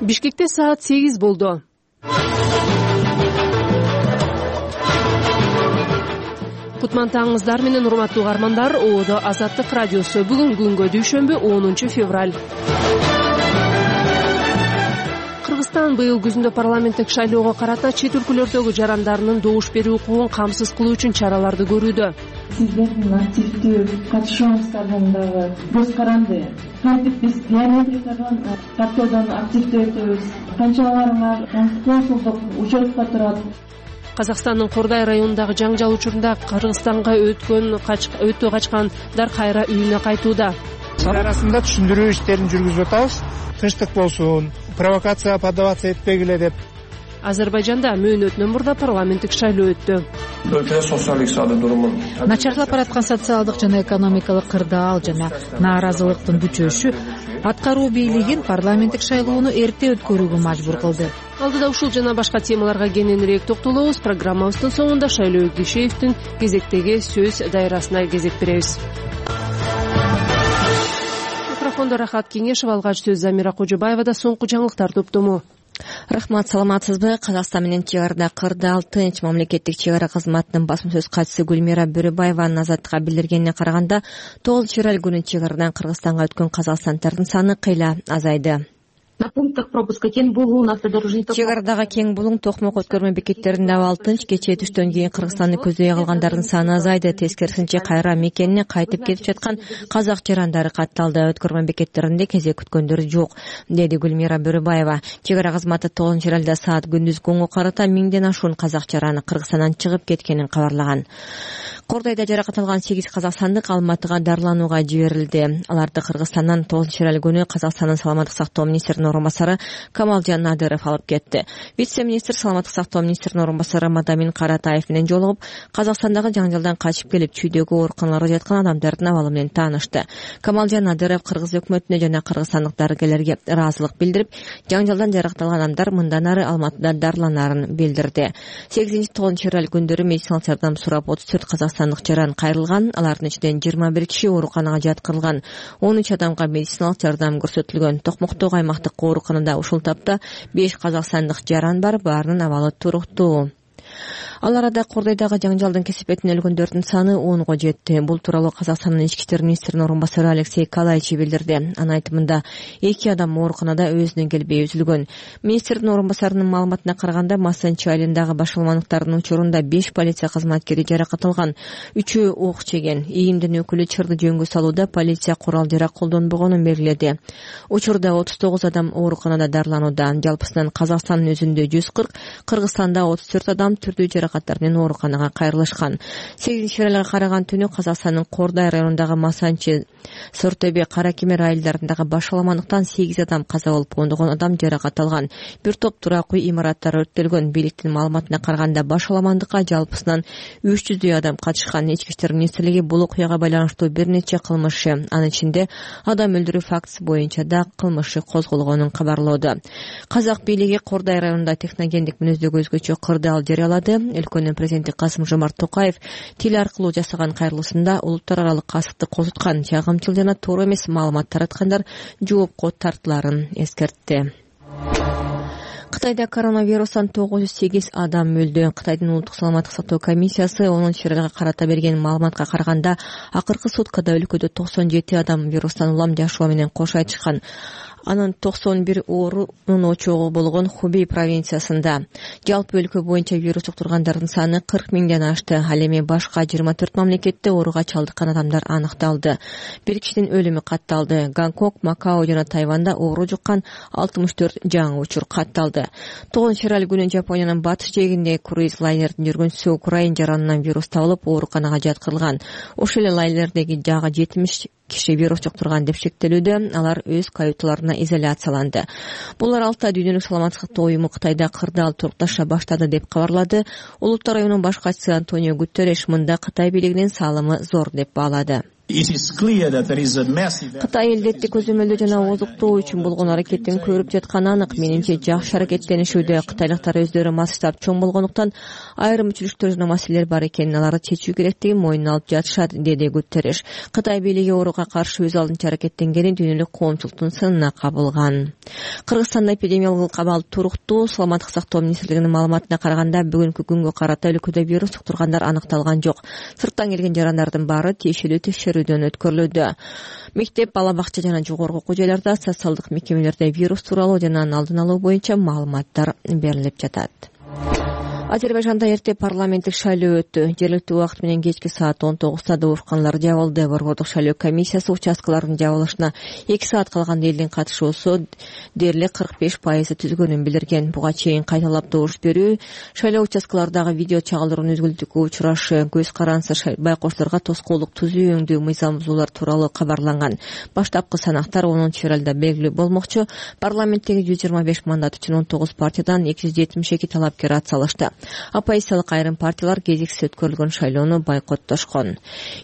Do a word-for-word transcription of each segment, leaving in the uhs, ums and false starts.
Бишкекте саат сегиз болду. Кутмантаңыздар менен урматтуу угармандар, Оодо Азаттык радиосу. Бүгүн күнгө дүйшөмбү онунчу февраль. Кыргызстан быйыл күзүндө парламенттик шайлоого карата чет өлкөлөрдөгү жарандарынын добуш берүү укугун камсыз кылуу үчүн чараларды көрүүдө. Сиздердин активдүү катышууңуздардын дагы көз каранды. Кантип биз биометрикадан тартуудан активдүү өтөбүз. Канчаларыңар консулдук учетко турат. Казакстандын Кордай районундагы жаңжал учурунда Кыргызстанга өткөн өтө качкандар кайра үйүнө кайтууда. Арасында түшүндүрүү иштерин жүргүзүп атабыз. Тынчтык болсун, провокация поддаваться этпегиле деп. Азербайжанда мөөнөтүнөн мурда парламенттик шайлоо өттү. Өлкөдө социалдык икътисадый турумун начарлап бараткан социалдык жана экономикалык кырдаал жана нааразылыктын күчөшү аткаруу бийлигин парламенттик шайлоону эрте өткөрүүгө мажбур кылды. Алдыда ушул жана башка темаларга кененирээк токтолобуз. Программабыздын соңунда Шайлоо Кишеевдин кезектеги сөз дайрасына кезек беребиз. Микрофондо Рахат Кеңешов, алгач сөз Замира Кожобаевада. Соңку жаңылыктар топтому. Рахмат, саламатсызбы? Казакстан менен чек арада кырдаал тынч мамлекеттик чек ара кызматынын басма сөз катчысы Гүлмира Бөрөбаеванын Азаттыкка билдиргенине караганда, тогузунчу февраль күнү чек арадан Кыргызстанга өткөн казакстандардын саны кыйла азайды. На пунктах пропуска Кен Булун автодорожный ток. Чек арадагы Кен Булун Токмок өткөрмө бекеттеринде абал тынч. Кечээ түштөн кийин Кыргызстанды көздөй калгандардын саны азайды. Тескерисинче кайра мекенине кайтып кетип жаткан казак жарандары катталды. Өткөрмө бекеттеринде кезек күткөндөр жок, деди Гүлмира Бөрөбаева. Чек ара кызматы тогузунчу февралда саат күндүз гонго карата миңден ашуун казак жараны Кыргызстандан чыгып кеткенин кабарлаган. Кордойдо жаракат алган сегиз казакстандык Алматыга дарыланууга жиберилди. Аларды Кыргызстандан тогузунчу февраль күнү Казакстандын саламаттык сактоо министринин орун басары Камалжан Надыров алып кетти. Вице-министр саламаттык сактоо министринин орун басары Мадамин Каратаев менен жолугуп, Казакстандагы жаңжалдан качып келип чүйдөгү ооруканаларда жаткан адамдардын абалы менен таанышты. Камалжан Надыров Кыргыз өкмөтүнө жана кыргызстандык дарыгерлерге ыраазылык билдирип, жаңжалдан жаракат алган адамдар мындан ары Алматыда дарыланарын билдирди. сегизинчи тогузунчу февраль күндөрү медициналык жардам сурап отуз төрт казакстандык жаран кайрылган. Алардын ичинен жыйырма бир киши ооруканага жаткырылган. он үч адамга медициналык жардам көрсөтүлгөн. Токмоктогу аймактык ооруканада ушул тапта беш казакстандык жаран бар, баарынын абалы туруктуу. Ал арада Кордойдогу жаңжалдын кесепетинен өлгөндөрдүн саны онго жетти. Бул тууралуу Казакстандын ички иштер министринин орун басары Алексей Калайчи билдирди. Анын айтымында эки адам ооруканада өзүнөн келбей үзүлгөн. Министрдин орун басарынын маалыматына караганда, Масанчи айылындагы башаламандыктардын учурунда беш полиция кызматкери жаракат алган, үчөө ок жеген. ИИМдин өкүлү чырды жөнгө салууда полиция курал-жарак колдонбогонун белгиледи. Учурда отуз тогуз адам ооруканада дарыланууда. Жалпысынан Казакстандын өзүндө жүз кырк, Кыргызстанда отуз төрт адам түрдүү жаракаттар менен ооруканага кайрылышкан. сегизинчи февралга караган түнү Казакстандын Кордай районундагы Масанчи, Сортөбе, Каракемер айылдарындагы башаламандыктан сегиз адам каза болуп, ондогон адам жаракат алган. Бир топ туракүй имараттар өрттөлгөн. Бийликтин маалыматына караганда башаламандыкка жалпысынан үч жүздөй адам катышкан. Ички иштер министрлиги бул окуяга байланыштуу бир нече кылмышчы, анын ичинде адам өлтүрүү фактысы боюнча да кылмышчы козголгонун кабарлоодо. Казак бийлиги Кордай районунда техногендик мүнөздөгү өзгөчө кырдаал жарыялады. Өлкөнүн президенти Касым-Жомарт Токаев тил аркылуу жасаган кайрылуусунда улуттар аралык касыпты козуткан, чагымчыл жана туура эмес маалымат тараткандар жоопко тартыларын эскертти. Кытайда коронавирустан тогуз жүз сегиз адам өлдү. Кытайдын улуттук саламаттык сактоо комиссиясы онунчу февралга карата берген маалыматка караганда, акыркы суткада өлкөдө токсон жети адам вирустан улам жашоо менен кош айтышкан. Анын токсон бир оорунун очогу болгон Хубей провинциясында. Жалпы өлкө боюнча вирус жуктургандардын саны кырк миңден ашты. Ал эми башка жыйырма төрт мамлекетте ооруга чалдыккан адамдар аныкталды. Бир кишинин өлүмү катталды. Гонконг, Макао жана Тайванда оору жуккан алтымыш төрт жаңы учур катталды. тогузунчу февраль күнү Жапониянын батыш жээгинде круиз лайнердин жүргөнчүсү украин жаранынан вирус табылып, ооруканага жаткырылган. Ошол эле лайнердеги дагы жетимиш киши вирус жуктурган деп шектелүүдө. Алар өз каюталарына изоляцияланды. Бул аралыкта Дүйнөлүк саламаттык сактоо уюму Кытайда кырдаал турукташа баштады деп кабарлады. Улуттар уюмунун баш катчысы Антонио Гутерреш мында Кытай бийлигинин салымы зор деп баалады. Кытай элдетти көзөмөлдөө жана озуктоо үчүн болгон аракеттин көрүп жатканы анык. Менимче жакшы аракеттенишүүдө. Кытайлыктар өздөрү масштаб чоң болгондуктан айрым өчүрүштөр жана маселелер бар экенин, аларды чечүү керектигин мойнуна алып жатышат, деди Гутерриш. Кытай бийлиги ооруга каршы өз алдынча аракеттенгени дүйнөлүк коомчулуктун сынына кабылган. Кыргызстанда эпидемиологиялык абал туруктуу. Саламаттык сактоо министрлигинин маалыматына караганда, бүгүнкү күнгө карата өлкөдө вирус жуктургандар аныкталган жок. Сырттан келген жарандардын баары тиешелүү текшерүүдөн өткөрүлүүдө. Мектеп, бала бакча жана жогорку окуу жайларда, социалдык мекемелерде вирус тууралуу жана анын алдын алуу боюнча маалыматтар берилип жатат. Азербайжанда эрте парламенттик шайлоо өттү. Жергиликтүү убакыт менен кечки саат он тогузда добушканалар жабылды. Борбордук шайлоо комиссиясы участкалардын жабылышына эки саат калганда элдин катышуусу дээрлик кырк беш пайызы түзгөнүн билдирген. Буга чейин кайталап добуш берүү, шайлоо участкалардагы видео чыгалдыруунун үзгүлтүүгө учурашы, көз карансыз байкоочуларга тоскоолдук түзүү өңдүү мыйзам бузуулар тууралуу кабарланган. Баштапкы санактар онунчу февралда белгилүү болмокчу. Парламенттеги жүз жыйырма беш мандат үчүн он тогуз партиядан эки жүз жетимиш эки талапкер ат салышты. Оппозициялык айрым партиялар кезексиз өткөрүлгөн шайлоону бойкоттошкон.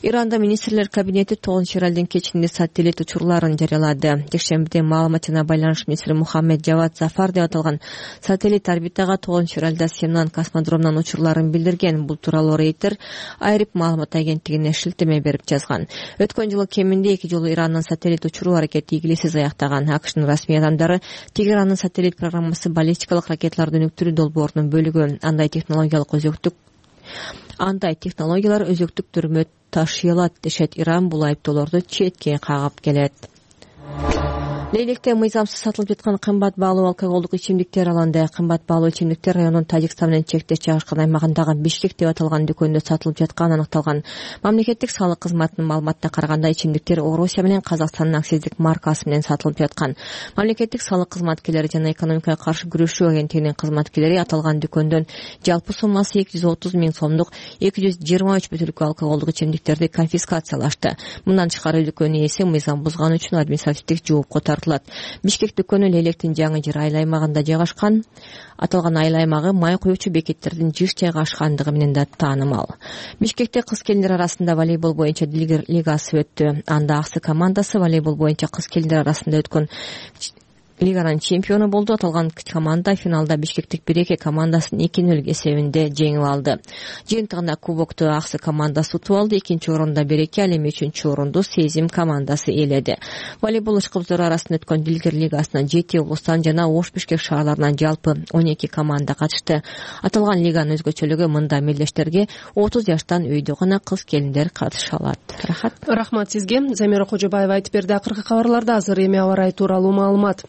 Иранда министрлер кабинети тогузунчу февралдын кечинде сателлит учурларын жарыялады. Жекшембиде маалымат жана байланыш министри Мухаммед Жавад Зафар деп аталган сателлит орбитага тогузунчу февралда Семнан космодромунан учурларын билдирген. Бул тууралуу Рейтер айрып маалымат агенттигине шилтеме берип жазган. Өткөн жылы кеминде эки жолу Ирандын сателлит учуруу аракети ийгиликсиз аяктаган. АКШнын расмий адамдары Тегерандын сателлит программасы баллистикалык ракеталарды өнүктүрүү долбоорунун бөлүгү. Андай технологиялык өзөктүк андай технологиялар өзөктүк түрмө ташый алат дешет. Иран бул айыптоолорду четке кагып келет. Лейлекте мыйзамсыз сатылып жаткан кымбат баалуу алкоголдук ичимдиктер алынды. Кымбат баалуу ичимдиктер райондун Тажикстан менен чектеш жайгашкан аймагындагы Бишкек деп аталган дүкөндө сатылып жатканы аныкталган. Мамлекеттик салык кызматынын маалыматына караганда, ичимдиктер Орусия менен Казакстандын акциздик маркасы менен сатылып жаткан. Мамлекеттик салык кызматкерлери жана экономикага каршы күрөшүү агенттигинин кызматкерлери аталган дүкөндөн жалпы суммасы эки жүз отуз миң сомдук эки жүз жыйырма үч бөтөлкө алкоголдук ичимдиктерди конфискациялашты. Мындан тышкары дүкөн ээси мыйзам бузганы үчүн административдик жоопко тартылды. Бишкек дүкөнү Лейлектин жаңы жыр айыл аймагында жайгашкан. Аталган айыл аймагы май куючу бекеттердин жыш жайгашкандыгы менен да таанымал. Бишкекте кыз келиндер арасында волейбол боюнча Дилгер лигасы өттү. Анда Аксы командасы волейбол боюнча кыз келиндер арасында өткөн лиганын чемпиону болду. Аталган команда финалда Бишкектик Биреке командасын эки нөл эсебинде жеңип алды. Жыйынтыгында кубокту Аксы командасы утуп алды. Экинчи орунда Биреке, ал эми үчүнчү орунду Сезим командасы ээледи. Волейбол ышкыбыздары арасында өткөн Дилгер лигасына жети облустан жана Ош Бишкек шаарларынан жалпы он эки команда катышты. Аталган лиганын өзгөчөлүгү мында мелдештерге отуз жаштан өйдө гана кыз келиндер катыша алат. Рахат. Рахмат сизге. Замира Кожобаева айтып берди. Акыркы кабарларда азыр эми аба ырайы тууралуу маалымат.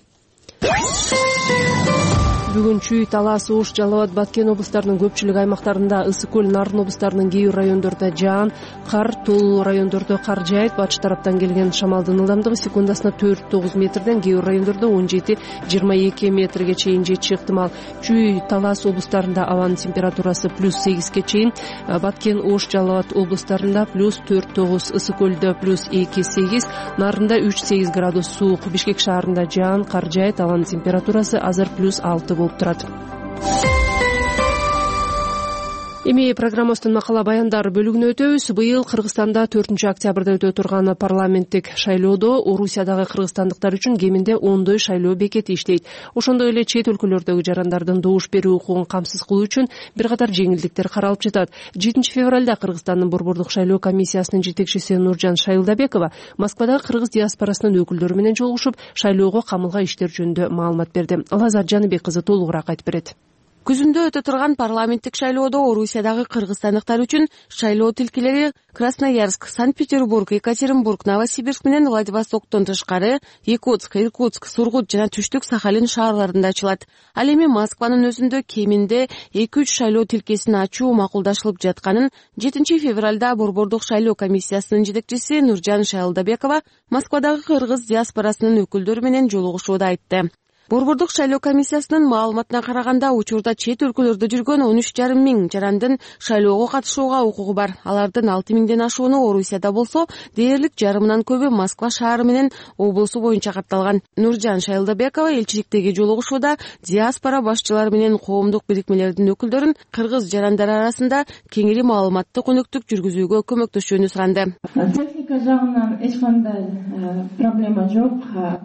Бүгүн Чүй, Талас, Ош, Жалал Абад, Баткен облустарынын көпчүлүк аймактарында, Ысык көл, Нарын облустарынын кээ бир райондордо жаан, кар, тол райондордо кар жаайт. Батыш тараптан келген шамалдын ылдамдыгы секундасына төрт тогуз метрден, кээ бир райондордо он жети жыйырма эки метрге чейин жетиши ыктымал. Чүй, Талас облустарында абанын температурасы плюс сегизге чейин, Баткен, Ош, Жалал Абад облустарында плюс төрт тогуз, Ысык көлдө плюс эки сегиз, Нарында үч сегиз градус суук. Бишкек шаарында жаан, кар жаайт, абанын температурасы азыр плюс алты болуп турат. Эми программабыздын макала баяндар бөлүгүнө өтөбүз. Быйыл Кыргызстанда төртүнчү октябрда өтө турган парламенттик шайлоодо Орусиядагы кыргызстандыктар үчүн кеминде ондой шайлоо бекети иштейт. Ошондой эле чет өлкөлөрдөгү жарандардын добуш берүү укугун камсыз кылуу үчүн бир катар жеңилдиктер каралып жатат. жетинчи февралда Кыргызстандын борбордук шайлоо комиссиясынын жетекчиси Нуржан Шайылдабекова Москвадагы кыргыз диаспорасынын өкүлдөрү менен жолугушуп, шайлоого камылган иштер жөнүндө маалымат берди. Лазар Жаныбек кызы толугураак айтып берет. Күзүндө өтө турган парламенттик шайлоодо Орусиядагы кыргызстандыктар үчүн шайлоо тилкелери Красноярск, Санкт-Петербург, Екатеринбург, Новосибирск менен Владивостоктон тышкары Якутск, Иркутск, Сургут жана Түштүк Сахалин шаарларында ачылат. Ал эми Москванын өзүндө кеминде эки үч шайлоо тилкесин ачуу макулдашылып жатканын жетинчи февралда борбордук шайлоо комиссиясынын жетекчиси Нуржан Шайылдабекова Москвадагы кыргыз диаспорасынын өкүлдөрү менен жолугушууда айтты. Борбордук шайлоо комиссиясынын маалыматына караганда учурда чет өлкөлөрдө жүргөн он үч жарым миң жарандын шайлоого катышууга укугу бар. Алардын алты миңден ашууну Орусияда болсо, дээрлик жарымынан көбү Москва шаары менен облусу боюнча катталган. Нуржан Шайлдабекова элчиликтеги жолугушууда диаспора башчылары менен коомдук бирикмелердин өкүлдөрүн кыргыз жарандары арасында кеңири маалыматтык өнөктүк жүргүзүүгө көмөктөшүүнү суранды. Техника жагынан эч кандай проблема жок.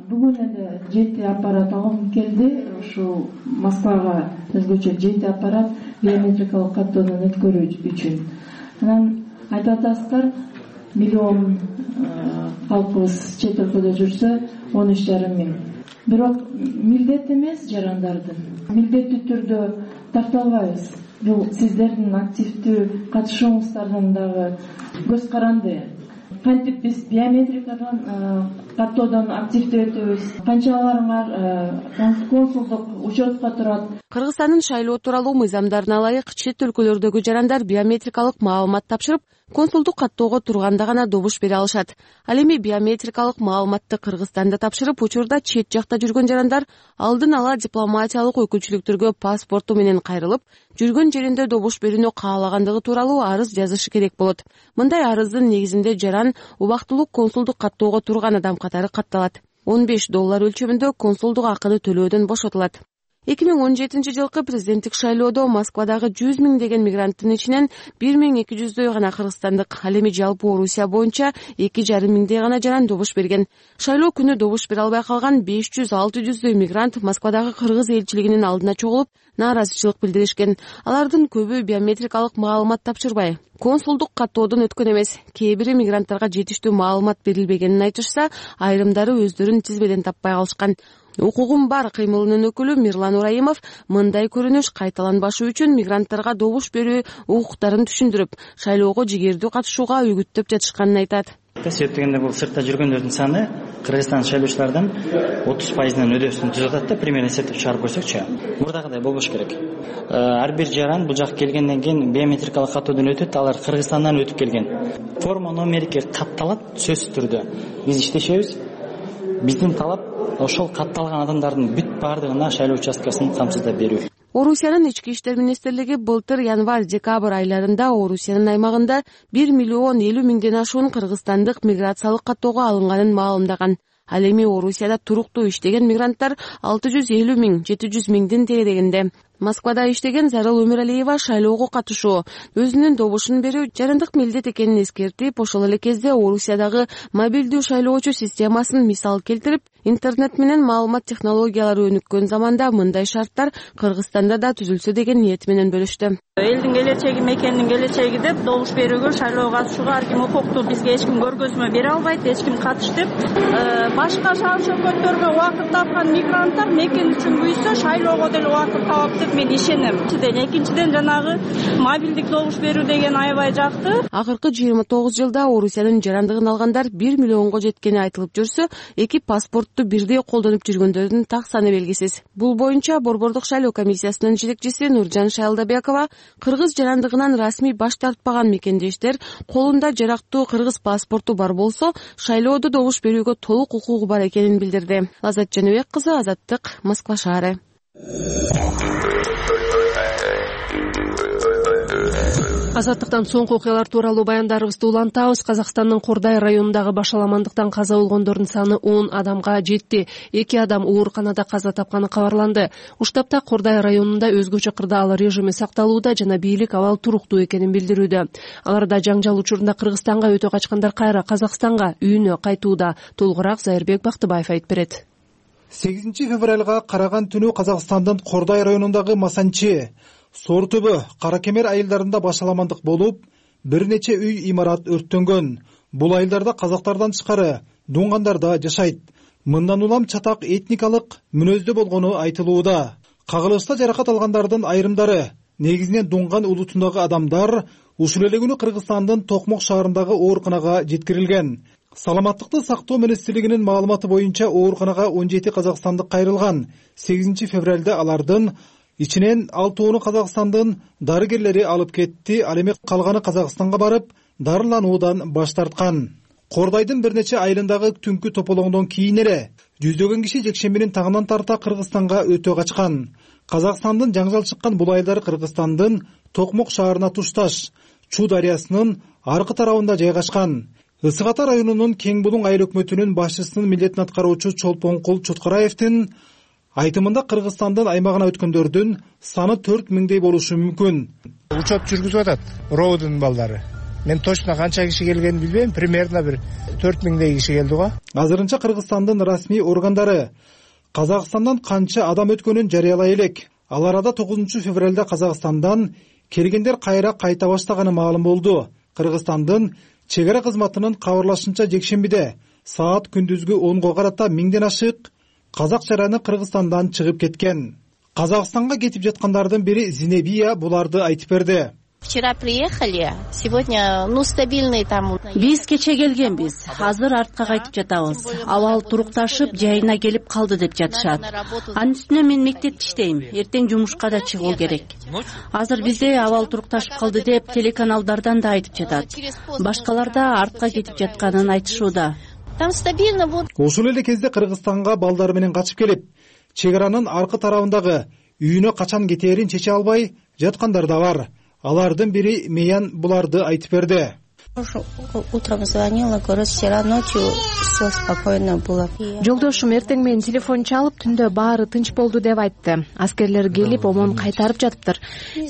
Бүгүн эле жети аппарат алып келди. Ушу Москвага өзгөчө жети аппарат биометрикалык каттоодон өткөрүү үчүн. Анан айтып атасыздар, миллион калкыбыз чет өлкөдө жүрсө он үч жарым миң. Бирок милдет эмес жарандардын. Милдеттүү түрдө тарталбайбыз. Бул сиздердин активдүү катышууңуздардан дагы көз каранды. Кантип биз биометрикадан каттоодон активдүү өтөбүз. Канчаларыңар консулдук учетко турат. Кыргызстандын шайлоо тууралуу мыйзамдарына ылайык чет өлкөлөрдөгү жарандар биометрикалык маалымат тапшырып, консулдук каттоого турганда гана добуш бере алышат. Ал эми биометрикалык маалыматты Кыргызстанда тапшырып, учурда чет жакта жүргөн жарандар алдын ала дипломатиялык өкүлчүлүктөргө паспорту менен кайрылып, жүргөн жеринде добуш берүүнү каалагандыгы тууралуу арыз жазышы керек болот. Мындай арыздын негизинде жаран убактылуу консулдук каттоого турган адам катары катталат. он беш доллар өлчөмүндө консулдук акыны төлөөдөн бошотулат. эки миң он жетинчи жылкы президенттик шайлоодо Москвадагы жүз миң деген мигранттын ичинен бир миң эки жүздөй гана кыргызстандык, ал эми жалпы Орусия боюнча эки жарым миңдей гана жаран добуш берген. Шайлоо күнү добуш бере албай калган беш жүз алты жүздөй мигрант Москвадагы кыргыз элчилигинин алдына чогулуп, нааразычылык билдиришкен. Алардын көбү биометрикалык маалымат тапшырбай, консулдук каттоодон өткөн эмес. Кээ бири мигранттарга жетиштүү маалымат берилбегенин айтышса, айрымдары өздөрүн тизбеден таппай калышкан. Укугум бар кыймылынын өкүлү Мирлан Ураимов мындай көрүнүш кайталанбашы үчүн мигранттарга добуш берүү укуктарын түшүндүрүп, шайлоого жигердүү катышууга үгүттөп жатышканын айтат. Эсептегенде бул сыртта жүргөндөрдүн саны Кыргызстан шайлоочулардан отуз пайызынан өдөсүн түзүп атат да, примерно эсептеп чыгарып көрсөкчү. Мурдагыдай болбош керек. Ар бир жаран бул жакка келгенден кийин биометрикалык каттоодон өтөт, алар Кыргызстандан өтүп келген. Форма номерге катталат сөзсүз түрдө. Биз иштешебиз. Биздин талап ошол катталган адамдардын бүт баардыгына шайлоо участкасын камсыздап берүү. Орусиянын ички иштер министрлиги былтыр январь-декабрь айларында Орусиянын аймагында бир миллион элүү миңден ашуун кыргызстандык миграциялык каттоого алынганын маалымдаган. Ал эми Орусияда туруктуу иштеген мигранттар алты жүз элүү миң жети жүз миңдин тегерегинде. Москвада иштеген Зарыл Өмүралиева шайлоого катышуу, өзүнүн добушун берүү жарандык милдет экенин эскертип, ошол эле кезде Орусиядагы мобилдүү шайлоочу системасын мисал келтирип, интернет менен маалымат технологиялары өнүккөн заманда мындай шарттар Кыргызстанда да түзүлсө деген ниет менен бөлүштү. Элдин келечеги, мекендин келечеги деп добуш берүүгө, шайлоого катышууга ар ким укуктуу, бизге эч ким көргөзмө бере албайт, эч ким катыш деп. Башка шаар чөкөттөргө убакыт тапкан мигранттар мекен үчүн буйса шайлоого деле убакыт табат деп мен ишенем. Экинчиден жанагы мобилдик добуш берүү деген аябай жакты. Акыркы жыйырма тогуз жылда Орусиянын жарандыгын алгандар бир миллионго жеткени айтылып жүрсө, эки паспортту бирдей колдонуп жүргөндөрдүн так саны белгисиз. Бул боюнча Борбордук шайлоо комиссиясынын жетекчиси Нуржан Шайлдабекова кыргыз жарандыгынан расмий баш тартпаган мекендештер колунда жарактуу кыргыз паспорту бар болсо, шайлоодо добуш берүүгө толук укугу бар экенин билдирди. Азат Жаныбек кызы, Азаттык, Москва шаары. Азаттыктан соңку окуялар тууралуу баяндарыбызды улантабыз. Казакстандын Кордай районундагы башаламандыктан каза болгондордун саны он адамга жетти. эки адам ооруканада каза тапканы кабарланды. Уштапта Кордай районунда өзгөчө кырдаал режими сакталууда жана бийлик абал туруктуу экенин билдирүүдө. Аларда жаңжал учурунда Кыргызстанга өтө качкандар кайра Казакстанга үйүнө кайтууда. Толугураак Зайырбек Бактыбаев айтып берет. сегизинчи февралга караган түнү Казакстандын Кордай районундагы Масанчи, Сор түбү, Каракемер айылдарында башаламандык болуп, бир нече үй имарат өрттөнгөн. Бул айылдарда казактардан тышкары дунгандар да жашайт. Мындан улам чатак этникалык мүнөздө болгону айтылууда. Кагылышта жаракат алгандардын айрымдары, негизинен дунган улутундагы адамдар, ушул эле күнү Кыргызстандын Токмок шаарындагы ооруканага жеткирилген. Саламаттыкты сактоо министрлигинин маалыматы боюнча ооруканага он жети казакстандык кайрылган. сегизинчи февралда алардын ичинен алтоону Казакстандын дарыгерлери алып кетти, ал эми калганы Казакстанга барып, дарылануудан баш тарткан. Кордайдын бир нече айылындагы түнкү топологондон кийин эле жүздөгөн киши жекшембинин тагынан тарта Кыргызстанга өтө качкан. Казакстандын жаңжал чыккан бул айылдары Кыргызстандын Токмок шаарына тушташ Чу дарыясынын аркы тарабында жайгашкан. Ысык Ата районунун Кең Булуң айыл өкмөтүнүн башчысынын милдетин аткаруучу Чолпонкул Чоткараевдин айтымында Кыргызстандын аймагына өткөндөрдүн саны төрт миңдей болушу мүмкүн. Учет жүргүзүп атат РОУдун балдары. Мен точно канча киши келгенин билбейм, примерно бир төрт миңдей киши келди го. Азырынча Кыргызстандын расмий органдары Казакстандан канча адам өткөнүн жарыялай элек. Ал арада тогузунчу февралда Казакстандан келгендер кайра кайта баштаганы маалым болду. Кыргызстандын чек ара кызматынын кабарлашынча жекшембиде саат күндүзгү онго карата миңден ашык казак жараны Кыргызстандан чыгып кеткен. Казакстанга кетип жаткандардын бири Зинебия буларды айтып берди. Вчера приехали, сегодня, ну, стабильный там. Биз кече келгенбиз, азыр артка кайтып жатабыз. Абал турукташып, жайына келип калды деп жатышат. Анын үстүнө мен мектепте иштейм, эртең жумушка да чыгуу керек. Азыр бизде абал турукташып калды деп телеканалдардан да айтып жатат. Башкалар да артка кетип жатканын айтышууда. Там стабильно вот. Ошол эле кезде Кыргызстанга балдары менен качып келип, чек аранын аркы тарабындагы үйүнө качан кетээрин чече албай жаткандар да бар. Алардын бири Меян буларды айтып берди. Утром звонила, говорит, вчера ночью все спокойно было. Жолдошум эртең менен телефон чалып, түндө баары тынч болду деп айтты. Аскерлер келип, омон кайтарып жатыптыр.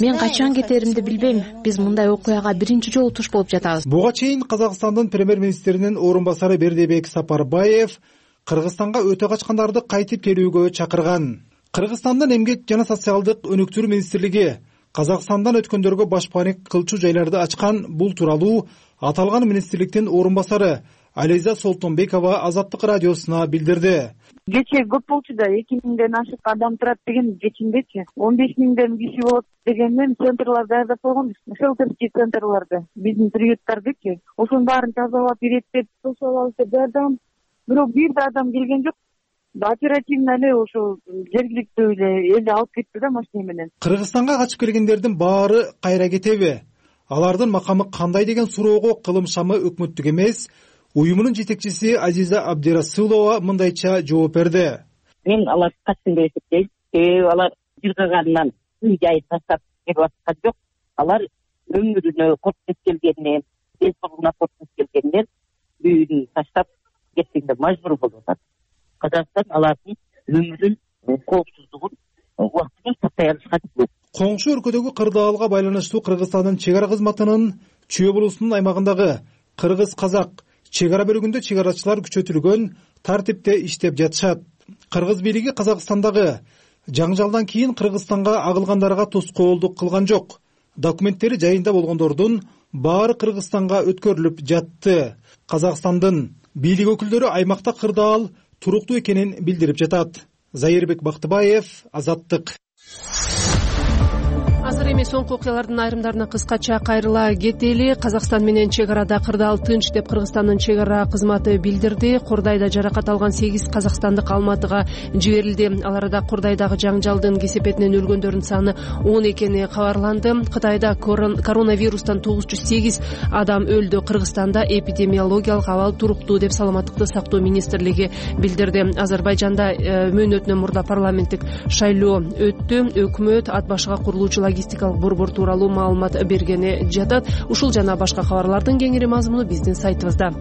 Мен качан кетеримди билбейм. Биз мындай окуяга биринчи жолу туш болуп жатабыз. Буга чейин Казакстандын премьер-министринин орун басары Бердибек Сапарбаев Кыргызстанга өтө качкандарды кайтып келүүгө чакырган. Кыргызстандын эмгек жана социалдык өнүктүрүү министрлиги Казакстандан өткөндөргө башпаник кылчу жайларды ачкан. Бул тууралуу аталган министрликтин орун басары Ализа Солтонбекова Азаттык радиосуна билдирди. Кече көп болчу да, эки миңден ашык адам турат деген кечиндечи. он беш миңден киши болот дегенден центрлар даярдап койгонбуз. Шелтерский центрларды, биздин приюттардычы. Ошонун баарын тазалап, иреттеп, сошалап даярдаган. Бирок бир да адам келген жок. Оперативно эле ошо жергиликтүү эле элди алып кетти да машина менен. Кыргызстанга качып келгендердин баары кайра кетеби? Алардын макамы кандай деген суроого кылым шамы өкмөттүк эмес, уюмунун жетекчиси Азиза Абдирасулова мындайча жооп берди. Мен алар качсын деп эсептейм. Себеби алар жыргагандан үй жайын таштап кетип аткан жок. Алар өмүрүнө коркуп келгенден, ден соолугуна коркуп келгенден үйүн таштап кеткенге мажбур болуп атат. Казакстан алардын өмүрүн, коопсуздугун убактылуу сактай алышка тийет. Коңшу өлкөдөгү кырдаалга байланыштуу Кыргызстандын чек ара кызматынын Чүй облусунун аймагындагы кыргыз-казак чек ара бөлүгүндө чек арачылар күчөтүлгөн тартипте иштеп жатышат. Кыргыз бийлиги Казакстандагы жаңжалдан кийин Кыргызстанга агылгандарга тоскоолдук кылган жок. Документтери жайында болгондордун баары Кыргызстанга өткөрүлүп жатты. Казакстандын бийлик өкүлдөрү аймакта кырдаал туруктуу экенин билдирип жатат. Зайырбек Бактыбаев, Азаттык. Азыр эми соңку окуялардын айрымдарына кыскача кайрыла кетели. Казакстан менен чек арада кырдаал тынч деп Кыргызстандын чек ара кызматы билдирди. Кордайда жаракат алган сегиз казакстандык Алматыга жиберилди. Ал арада Кордайдагы жаңжалдын кесепетинен өлгөндөрдүн саны он экени кабарланды. Кытайда коронавирустан тогуз жүз сегиз адам өлдү. Кыргызстанда эпидемиологиялык абал туруктуу деп Саламаттыкты сактоо министрлиги билдирди. Азербайжанда мөөнөтүнөн мурда парламенттик шайлоо өттү. Өкмөт ат башыга курулуучу логистикалык борбор тууралуу маалымат бергени жатат. Ушул жана башка кабарлардын кеңири мазмуну биздин сайтыбызда.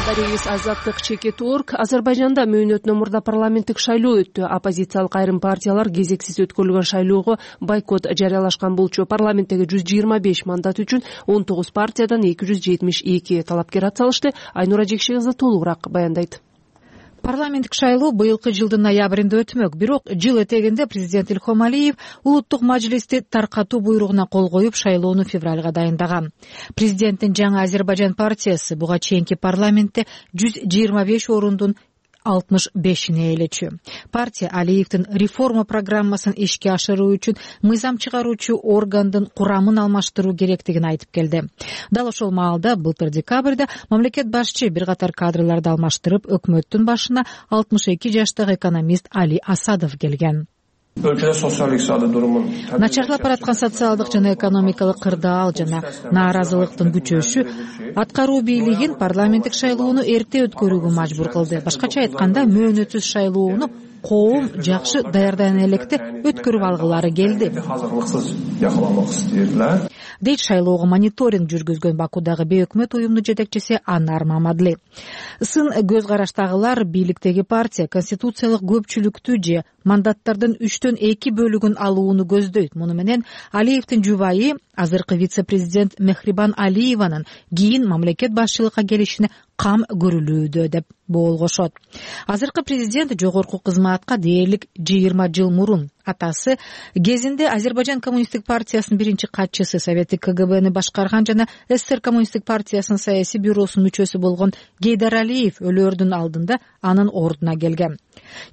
Дарегиз Азаттык чекит точка орг. Азербайжанда мөөнөтүнөн мурда парламенттик шайлоо өттү. Оппозициялык айрым партиялар кезексиз өткөрүлгөн шайлоого бойкот жарыялашкан болчу. Парламенттеги жүз жыйырма беш мандат үчүн он тогуз партиядан эки жүз жетимиш эки талапкер ат салышты. Айнура Жекши кызы толугураак баяндайт. Парламенттик шайлоо быйылкы жылдын ноябрында өтмөк. Бирок жыл этегинде президент Илхом Алиев улуттук мажлисти таркатуу буйругуна кол коюп, шайлоону февралга дайындаган. Президенттин жаңы Азербайжан партиясы буга чейинки парламентте жүз жыйырма беш орундун алтымыш бешине ээлечү. Партия Алиевдин реформа программасын ишке ашыруу үчүн мыйзам чыгаруучу органдын курамын алмаштыруу керектигин айтып келди. Дал ошол маалда былтыр декабрда мамлекет башчы бир катар кадрларды алмаштырып, өкмөттүн башына алтымыш эки жаштагы экономист Али Асадов келген. өлкөдө социалдык иктисадий турумун начарлап бараткан социалдык жана экономикалык кырдаал жана нааразылыктын күчөшү аткаруу бийлигин парламенттик шайлоону эрте өткөрүүгө мажбур кылды. Башкача айтканда, мөөнөтсүз шайлоону коом жакшы даярдана электе өткөрүп алгылары келди дейт шайлоого мониторинг жүргүзгөн Бакудагы бейөкмөт уюмдун жетекчиси Анар Мамадли. Сын көз караштагылар бийликтеги партия конституциялык көпчүлүктү же мандаттардын үчтөн эки бөлүгүн алууну көздөйт. Муну менен Алиевдин жубайы азыркы вице-президент Мехрибан Алиеванын кийин мамлекет башчылыкка келишине кам көрүлүүдө деп болгошот. Азыркы президент жогорку кызматка дээрлик жыйырма жыл мурун атасы кезинде Азербайжан коммунисттик партиясынын биринчи катчысы, Советтик КГБны башкарган жана СССР коммунисттик партиясынын саясий бюросунун мүчөсү болгон Гейдар Алиев өлөөрдүн алдында анын ордуна келген.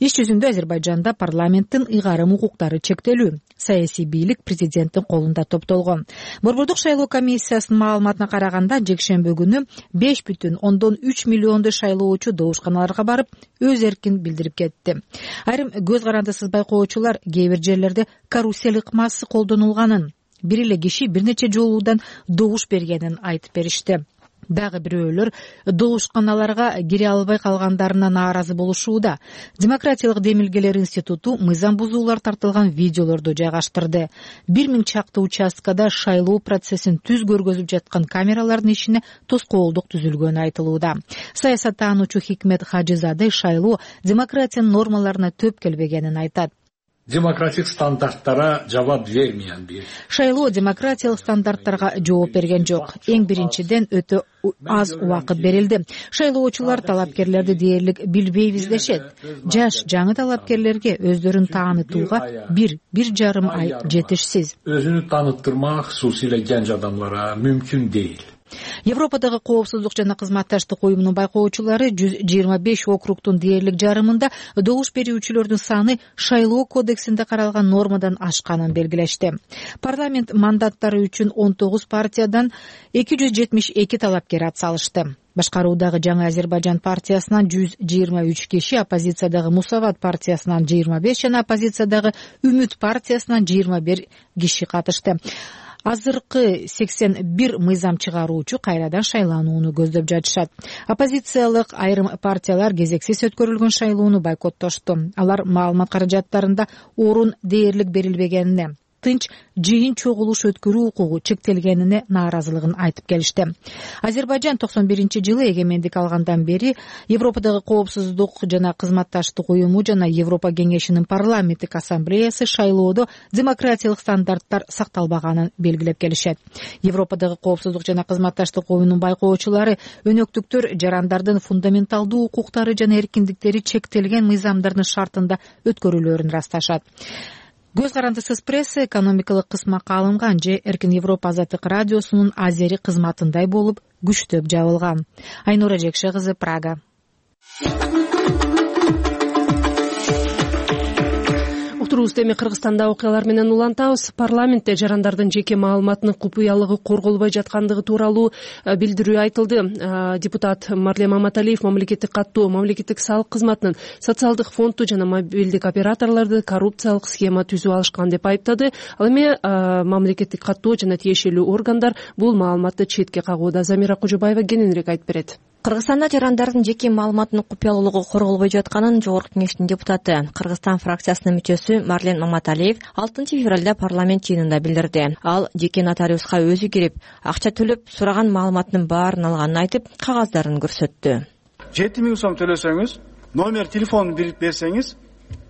Иш жүзүндө Азербайжанда парламенттин ыйгарым укуктары чектелүү, саясий бийлик президенттин колунда топтолгон. Борбордук шайлоо комиссиясынын маалыматына караганда, жекшемби күнү беш бүтүн ондон үч миллиондой шайлоочу добушканаларга барып, өз эркин билдирип кетти. Айрым көз карандысыз байкоочулар кээ бир жерлерде карусель ыкмасы колдонулганын, бир эле киши бир нече жолуудан добуш бергенин айтып беришти. Дагы бирөөлөр добушканаларга кире албай калгандарына нааразы болушууда. Демократиялык демилгелер институту мыйзам бузуулар тартылган видеолорду жайгаштырды. Бир миң чакты участкада шайлоо процессин түз көргөзүп жаткан камералардын ишине тоскоолдук түзүлгөнү айтылууда. Саясаттануучу Хикмет Хажизаде шайлоо демократиянын нормаларына төп келбегенин айтат. Демократик стандарттара жабап бермеген бир. Шайлоо демократиялык стандарттарга жооп берген жок. Эң биринчиден өтө аз убакыт берилди. Шайлоочулар талапкерлерди дээрлик билбейбиз дешет. Жаш жаңы талапкерлерге өздөрүн таанытууга бир бир жарым ай жетишсиз. Өзүнү тааныттырмак кусусий эле genç адамдарға мүмкүн дейт. Европадагы коопсуздук жана кызматташтык уюмунун байкоочулары жүз жыйырма беш округтун дээрлик жарымында добуш берүүчүлөрдүн саны шайлоо кодексинде каралган нормадан ашканын белгилешти. Парламент мандаттары үчүн он тогуз партиядан эки жүз жетимиш эки талапкер ат салышты. Башкаруудагы Жаңы Азербайжан партиясынан жүз жыйырма үч киши, оппозициядагы Мусават партиясынан жыйырма беш жана оппозициядагы Үмүт партиясынан жыйырма бир киши катышты. Азыркы сексен бир мыйзам чыгаруучу кайрадан шайланууну көздөп жатышат. Оппозициялык айрым партиялар кезексиз өткөрүлгөн шайлоону бойкоттошту. Алар маалымат каражаттарында орун дээрлик берилбегенине, тынч жыйын чогулуш өткөрүү укугу чектелгенине нааразылыгын айтып келишти. Азербайжан токсон биринчи жылы эгемендик алгандан бери Европадагы коопсуздук жана кызматташтык уюму жана Европа кеңешинин парламенттик ассамблеясы шайлоодо демократиялык стандарттар сакталбаганын белгилеп келишет. Европадагы коопсуздук жана кызматташтык уюмунун байкоочулары өнөктүктөр жарандардын фундаменталдуу укуктары жана эркиндиктери чектелген мыйзамдардын шартында өткөрүлөөрүн ырасташат. Көз карандысыз пресса экономикалык кысмакка алынган же Эркин Европа Азаттык радиосунун азери кызматындай болуп күчтөп жабылган. Айнура Жекше кызы, Прага. Уктуруубузду эми Кыргызстанда окуялар менен улантабыз. Парламентте жарандардын жеке маалыматынын купуялыгы корголбой жаткандыгы тууралуу билдирүү айтылды. Депутат Марлен Маматалиев мамлекеттик каттоо, мамлекеттик салык кызматынын социалдык фонду жана мобилдик операторлорду коррупциялык схема түзүп алышкан деп айыптады. Ал эми мамлекеттик каттоо жана тиешелүү органдар бул маалыматты четке кагууда. Замира Кожобаева кененирээк айтып берет. Кыргызстанда жарандардын жеке маалыматынын купуялуулугу корголбой жатканын Жогорку кеңештин депутаты, Кыргызстан фракциясынын мүчөсү Марлен Маматалиев алтынчы февралда парламент жыйынында билдирди. Ал жеке нотариуска өзү кирип, акча төлөп сураган маалыматтын баарын алганын айтып, кагаздарын көрсөттү. жети миң сом төлөсөңүз, номер телефонун берип берсеңиз,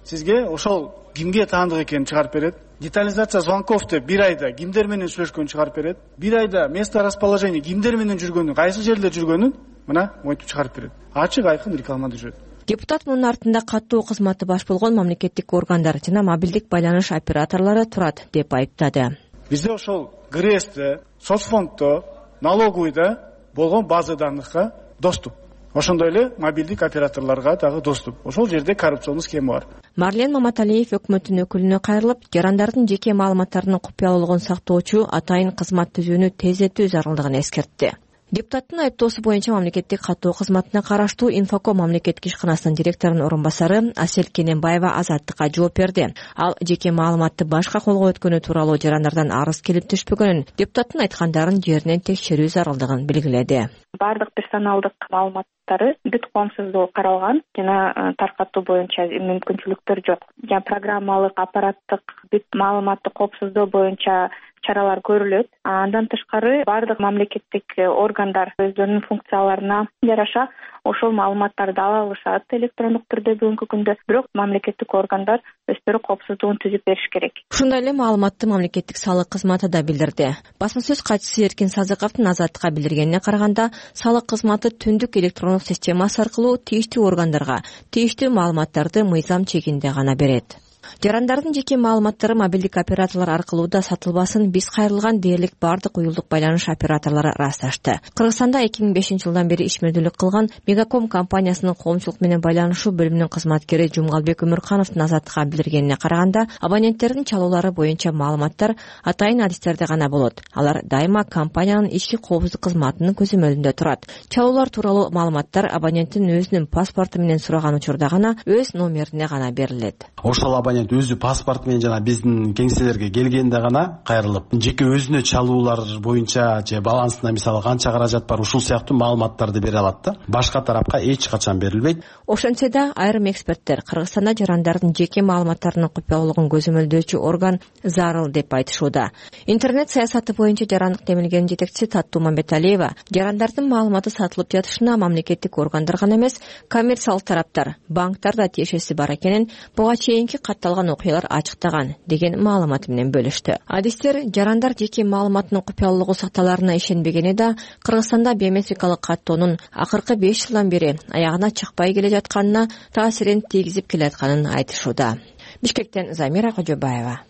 сизге ошол кимге таандык экенин чыгарып берет. Детализация звонков деп бир айда кимдер менен сүйлөшкөнүн чыгарып берет. Бир айда место расположения кимдер менен жүргөнүн, кайсы жерде жүргөнүн мына мойтуп чыгарып берет. Ачык айкын рекламада жүрөт. Депутат мунун артында каттоо кызматы баш болгон мамлекеттик органдар жана мобилдик байланыш операторлору турат деп айыптады. Бизде ошол ГРЭСте, соцфонддо, налоговыйда болгон база данныхка доступ. Ошондой эле мобилдик операторлорго дагы доступ. Ошол жерде коррупционный схема бар. Марлен Маматалиев өкмөттүн өкүлүнө кайрылып, жарандардын жеке маалыматтарынын купуялуулугун сактоочу атайын кызмат түзүүнү тездетүү зарылдыгын эскертти. Депутаттын айыптоосу боюнча мамлекеттик каттоо кызматына караштуу Инфоком мамлекеттик ишканасынын директорунун орун басары Асель Кененбаева Азаттыкка жооп берди. Ал жеке маалыматты башка колго өткөнү тууралуу жарандардан арыз келип түшпөгөнүн, депутаттын айткандарын жеринен текшерүү зарылдыгын белгиледи. Бардык персоналдык маалыматтары бүт коомсуздугу каралган жана таркатуу боюнча мүмкүнчүлүктөр жок. Жана программалык, аппараттык бүт маалыматты коопсуздоо боюнча чаралар көрүлөт. Андан тышкары бардык мамлекеттик органдар өздөрүнүн функцияларына жараша ошол маалыматтарды ала алышат электрондук түрдө бүгүнкү күндө. Бирок мамлекеттик органдар өздөрү коопсуздугун түзүп бериш керек. Ушундай эле маалыматты мамлекеттик салык кызматы да билдирди. Басма сөз катчысы Эркин Сазыковдун Азаттыкка билдиргенине караганда, салык кызматы түндүк электрондук системасы аркылуу тийиштүү органдарга тийиштүү маалыматтарды мыйзам чегинде гана берет. Жарандардын жеке маалыматтары мобилдик операторлор аркылуу да сатылбасын биз кайрылган дээрлик бардык уюлдук байланыш операторлору ырасташты. Кыргызстанда эки миң бешинчи жылдан бери ишмердүүлүк кылган Мегаком компаниясынын коомчулук менен байланышуу бөлүмүнүн кызматкери Жумгалбек Өмүркановдун Азаттыкка билдиргенине караганда, абоненттердин чалуулары боюнча маалыматтар атайын адистерде гана болот. Алар дайыма компаниянын ички коопсуздук кызматынын көзөмөлүндө турат. Чалуулар тууралуу маалыматтар абоненттин өзүнүн паспорту менен сураган учурда гана өз номерине гана берилет. Ошол абонент өзү паспорт менен жана биздин кеңселерге келгенде гана кайрылып, жеке өзүнө чалуулар боюнча же балансына мисалы канча каражат бар, ушул сыяктуу маалыматтарды бере алат да. Башка тарапка эч качан берилбейт. Ошентсе да айрым эксперттер Кыргызстанда жарандардын жеке маалыматтарынын купуялуулугун көзөмөлдөөчү орган зарыл деп айтышууда. Интернет саясаты боюнча жарандык демилгенин жетекчиси Таттуу Мамбеталиева жарандардын маалыматы сатылып жатышына мамлекеттик органдар гана эмес, коммерциялык тараптар, банктар да тиешеси бар экенин буга чейинки катталган окуялар ачыктаган деген маалымат менен бөлүштү. Адистер жарандар жеке маалыматынын купуялуулугу сакталарына ишенбегени да Кыргызстанда биометрикалык каттоонун акыркы беш жылдан бери аягына чыкпай келе жатканына таасирин тийгизип келатканын айтышууда. Бишкектен Замира Кожобаева.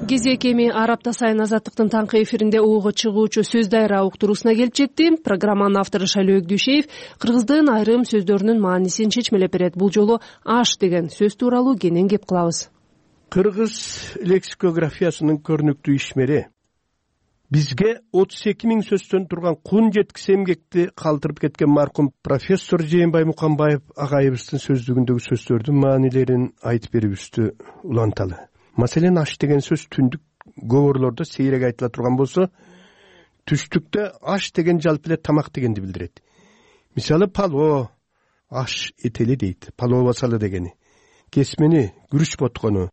Кезек эми ар апта сайын Азаттыктын таңкы эфиринде угууга чыгуучу сөз дайра уктуруусуна келип жетти. Программанын автору Шайлоо Өгдүшеев кыргыздын айрым сөздөрүнүн маанисин чечмелеп берет. Бул жолу аш деген сөз тууралуу кенен кеп кылабыз. Кыргыз лексикографиясынын көрүнүктүү ишмери бизге отуз эки миң сөздөн турган кун жеткис эмгекти калтырып кеткен маркум профессор Жээнбай Муканбаев агайыбыздын сөздүгүндөгү сөздөрдүн маанилерин айтып берүүбүздү уланталы. Маселен, аш деген сөз түндүк көбөрлөрдө сейрек айтыла турган болсо, түштүктө аш деген жалпы эле тамак дегенди билдирет. Мисалы, пало, аш этели дейт, пало басалы дегени. Кесмени, күрүч боткону,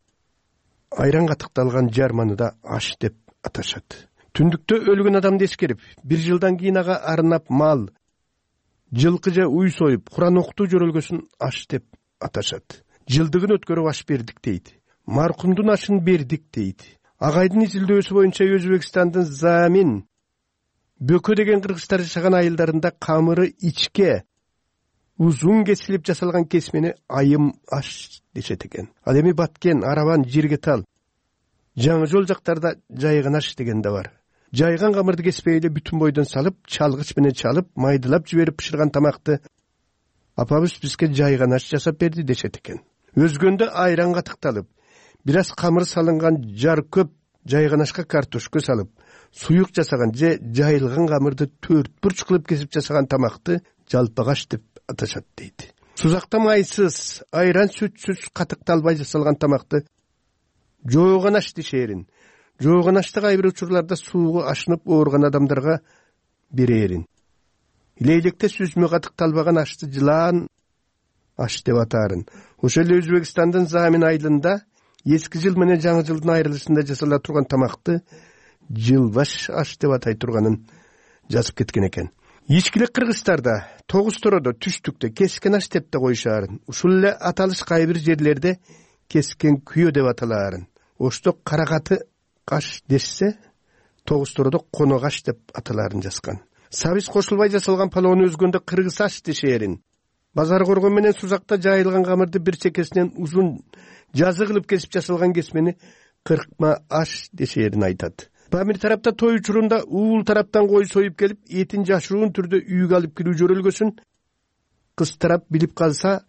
айран катыкталган жарманы да аш деп аташат. Түндүктө өлгөн адамды эскерип, бир жылдан кийин ага арнап мал, жылкы же уй союп, Куран окутуу жөрөлгөсүн аш деп аташат. Жылдыгын өткөрүп аш бердик дейт. Маркумдун ашын бердик дейт. Агайдын изилдөөсү боюнча Өзбекстандын Замин Бөкө деген кыргыздар жашаган айылдарында камыры ичке узун кесилип жасалган кесмени айым аш дешет экен. Ал эми Баткен, Арабан, Жиргетал, Жаңы жол жактарда жайган аш деген да бар. Жайган камырды кеспей эле бүтүн бойдон салып, чалгыч менен чалып, майдылап жиберип пышырган тамакты апабыз бизге жайган аш жасап берди дешет экен. Өзгөндө айран катыкталып, бир аз камыр салынган жар көп жайган ашка картошка салып, суюк жасаган же жайылган камырды төрт бурч кылып кесип жасаган тамакты жалпагаш деп аташат дейт. Сузакта майсыз, айран сүтсүз катыкталбай жасалган тамакты жооган аш дешерин. Жооган ашты кайбир учурларда сууга ашынып ооруган адамдарга берерин. Лейлекте сүзмө катыкталбаган ашты жылаан аш деп атаарын. Ошол эле Өзбекстандын Замин айылында эски жыл менен жаңы жылдын айрылышында жасала турган тамакты жылбаш аш деп атай турганын жазып кеткен экен. Ичкилик Кыргызстарда, Тогуз Тородо, Түштүктө кескен аш деп да коюшаарын. Ушул эле аталыш кайбир жерлерде кескен күйө деп аталаарын. Ошто карагаты каш дешсе, Тогуз Тородо коногаш деп аталаарын жазган. Сабиз кошулбай жасалган палоону өзгөндө кыргыз аш дешерин. Базар коргон менен сузакта жайылган камырды бир чекесинен узун жазы кылып кесип жасалган кесмени кыркма аш дешерин айтат. Бамир тарапта той учурунда уул тараптан кой союп келип, этин жашыруун түрдө үйгө алып кирүү жөрөлгөсүн кыз тарап билип калса,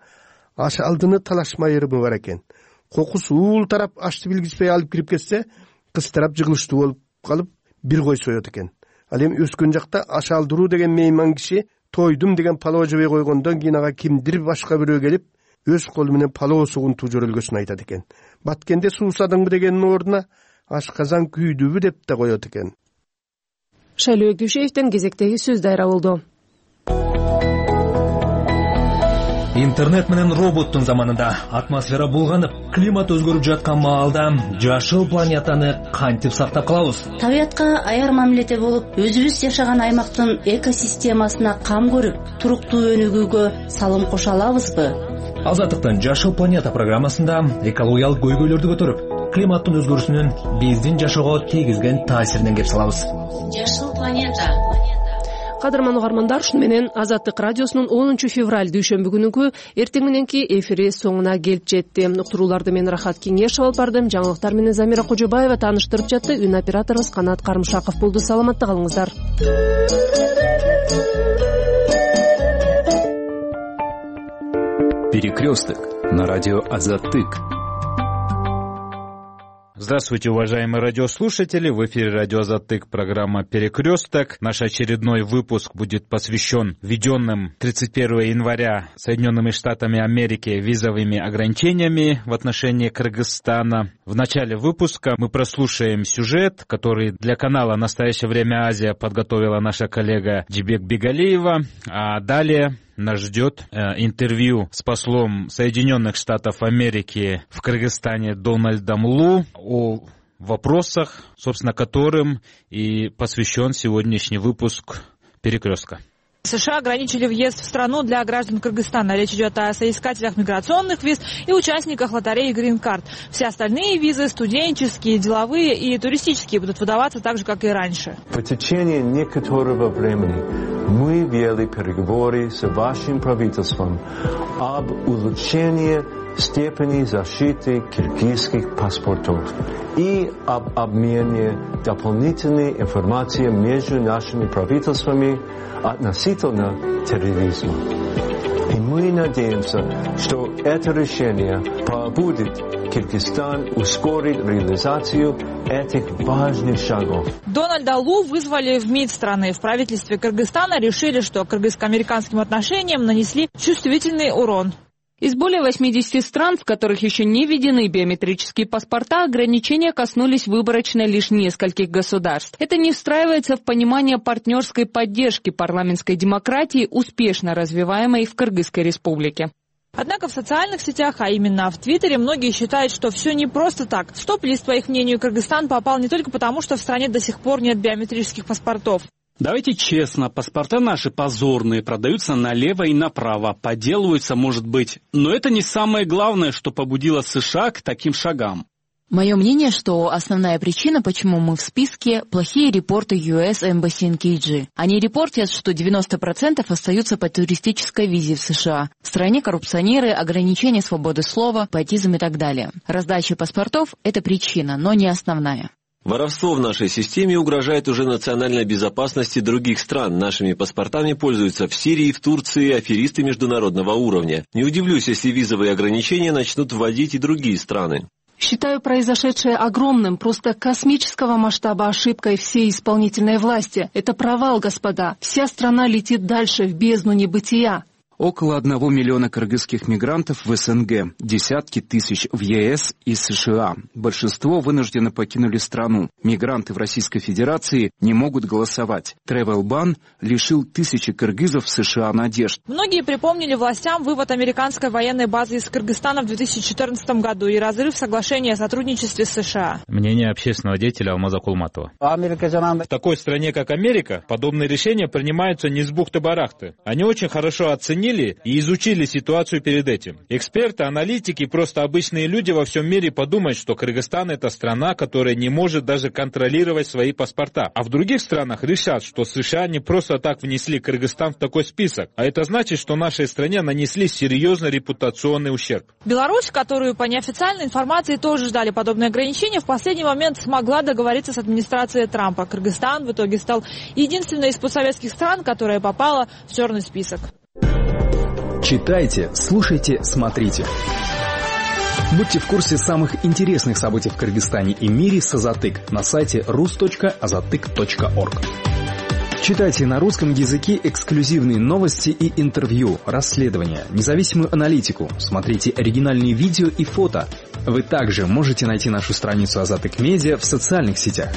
аш алдыны талашма ырымы бар экен. Кокус уул тарап ашты билгизбей алып кирип кетсе, кыстырап жыгылыштуу болуп калып бир кой соет экен. Ал эми өскөн жакта ашалдыруу деген мейман киши тойдум деген палоо жебей койгондон кийин ага кимдир башка бирөө келип өз колу менен палоо сугунтуу жөрөлгөсүн айтат экен. Баткенде суусадыңбы дегенин ордуна ашказан күйдүбү деп да коет экен. Шайлоо Күйшеевден кезектеги сөз дайра болду. Интернет менен роботтун заманында атмосфера булганып, климат өзгөрүп жаткан маалда жашыл планетаны кантип сактап калабыз? Табиятка аяр мамиледе болуп, өзүбүз жашаган аймактын экосистемасына кам көрүп, туруктуу өнүгүүгө салым кошо алабызбы? Азаттыктын Жашыл планета программасында экологиялык көйгөйлөрдү көтөрүп, климаттын өзгөрүүсүнүн биздин жашоого тийгизген таасиринен кеп салабыз. Жашыл планета. Кадырман угармандар, ушуну менен Азаттык радиосунун онунчу февраль дүйшөмбү күнүнкү эртең мененки эфири соңуна келип жетти. Уктурууларды мен Рахат Кеңешев алып бардым. Жаңылыктар менен Замира Кожобаева тааныштырып жатты. Үн операторубуз Канат Карымшаков болду. Саламатта калыңыздар. Перекресток на радио Азаттык. Здравствуйте, уважаемые радиослушатели. В эфире радио Азаттык, программа «Перекресток». Наш очередной выпуск будет посвящен введенным тридцать первого января Соединенными Штатами Америки визовыми ограничениями в отношении Кыргызстана. В начале выпуска мы прослушаем сюжет, который для канала «Настоящее время Азия» подготовила наша коллега Джибек Бегалиева. А далее нас ждет э, интервью с послом Соединенных Штатов Америки в Кыргызстане Дональдом Лу о вопросах, собственно, которым и посвящен сегодняшний выпуск «Перекрестка». США ограничили въезд в страну для граждан Кыргызстана. Речь идет о соискателях миграционных виз и участниках лотереи «Грин-карт». Все остальные визы, студенческие, деловые и туристические, будут выдаваться так же, как и раньше. В течение некоторого времени мы вели переговоры с вашим правительством об улучшении степени защиты киргизских паспортов и об обмене дополнительной информации между нашими правительствами относительно терроризма. И мы надеемся, что это решение побудит Кыргызстан ускорить реализацию этих важных шагов. Дональда Лу вызвали в МИД страны. В правительстве Кыргызстана решили, что кыргызско-американским отношениям нанесли чувствительный урон. Из более восьмидесяти стран, в которых еще не введены биометрические паспорта, ограничения коснулись выборочно лишь нескольких государств. Это не встраивается в понимание партнерской поддержки парламентской демократии, успешно развиваемой в Кыргызской республике. Однако в социальных сетях, а именно в Твиттере, многие считают, что все не просто так. В стоп-лист, по их мнению, Кыргызстан попал не только потому, что в стране до сих пор нет биометрических паспортов. Давайте честно, паспорта наши позорные, продаются налево и направо, подделываются, может быть. Но это не самое главное, что побудило США к таким шагам. Мое мнение, что основная причина, почему мы в списке, плохие репорты ю эс Embassy in Киджи. Они репортят, что девяносто процентов остаются по туристической визе в США. В стране коррупционеры, ограничения свободы слова, патизм и так далее. Раздача паспортов – это причина, но не основная. Воровство в нашей системе угрожает уже национальной безопасности других стран. Нашими паспортами пользуются в Сирии, в Турции аферисты международного уровня. Не удивлюсь, если визовые ограничения начнут вводить и другие страны. Считаю произошедшее огромным, просто космического масштаба ошибкой всей исполнительной власти. Это провал, господа. Вся страна летит дальше, в бездну небытия. Около одного миллиона кыргызских мигрантов в эс эн гэ, десятки тысяч в е эс и США. Большинство вынужденно покинули страну. Мигранты в Российской Федерации не могут голосовать. Тревел-бан лишил тысячи кыргызов в США надежд. Многие припомнили властям вывод американской военной базы из Кыргызстана в две тысячи четырнадцатом году и разрыв соглашения о сотрудничестве с США. Мнение общественного деятеля Алмаза Кулматова. В такой стране, как Америка, подобные решения принимаются не с бухты-барахты. Они очень хорошо оценили и изучили ситуацию перед этим. Эксперты, аналитики, просто обычные люди во всем мире подумают, что Кыргызстан — это страна, которая не может даже контролировать свои паспорта. А в других странах решат, что США не просто так внесли Кыргызстан в такой список, а это значит, что нашей стране нанесли серьезный репутационный ущерб. Беларусь, которую по неофициальной информации тоже ждали подобные ограничения, в последний момент смогла договориться с администрацией Трампа. Кыргызстан в итоге стал единственной из постсоветских стран, которая попала в черный список. Читайте, слушайте, смотрите. Будьте в курсе самых интересных событий в Кыргызстане и мире с Азатык на сайте рус точка азатык точка орг. Читайте на русском языке эксклюзивные новости и интервью, расследования, независимую аналитику. Смотрите оригинальные видео и фото. Вы также можете найти нашу страницу Азатык Медиа в социальных сетях.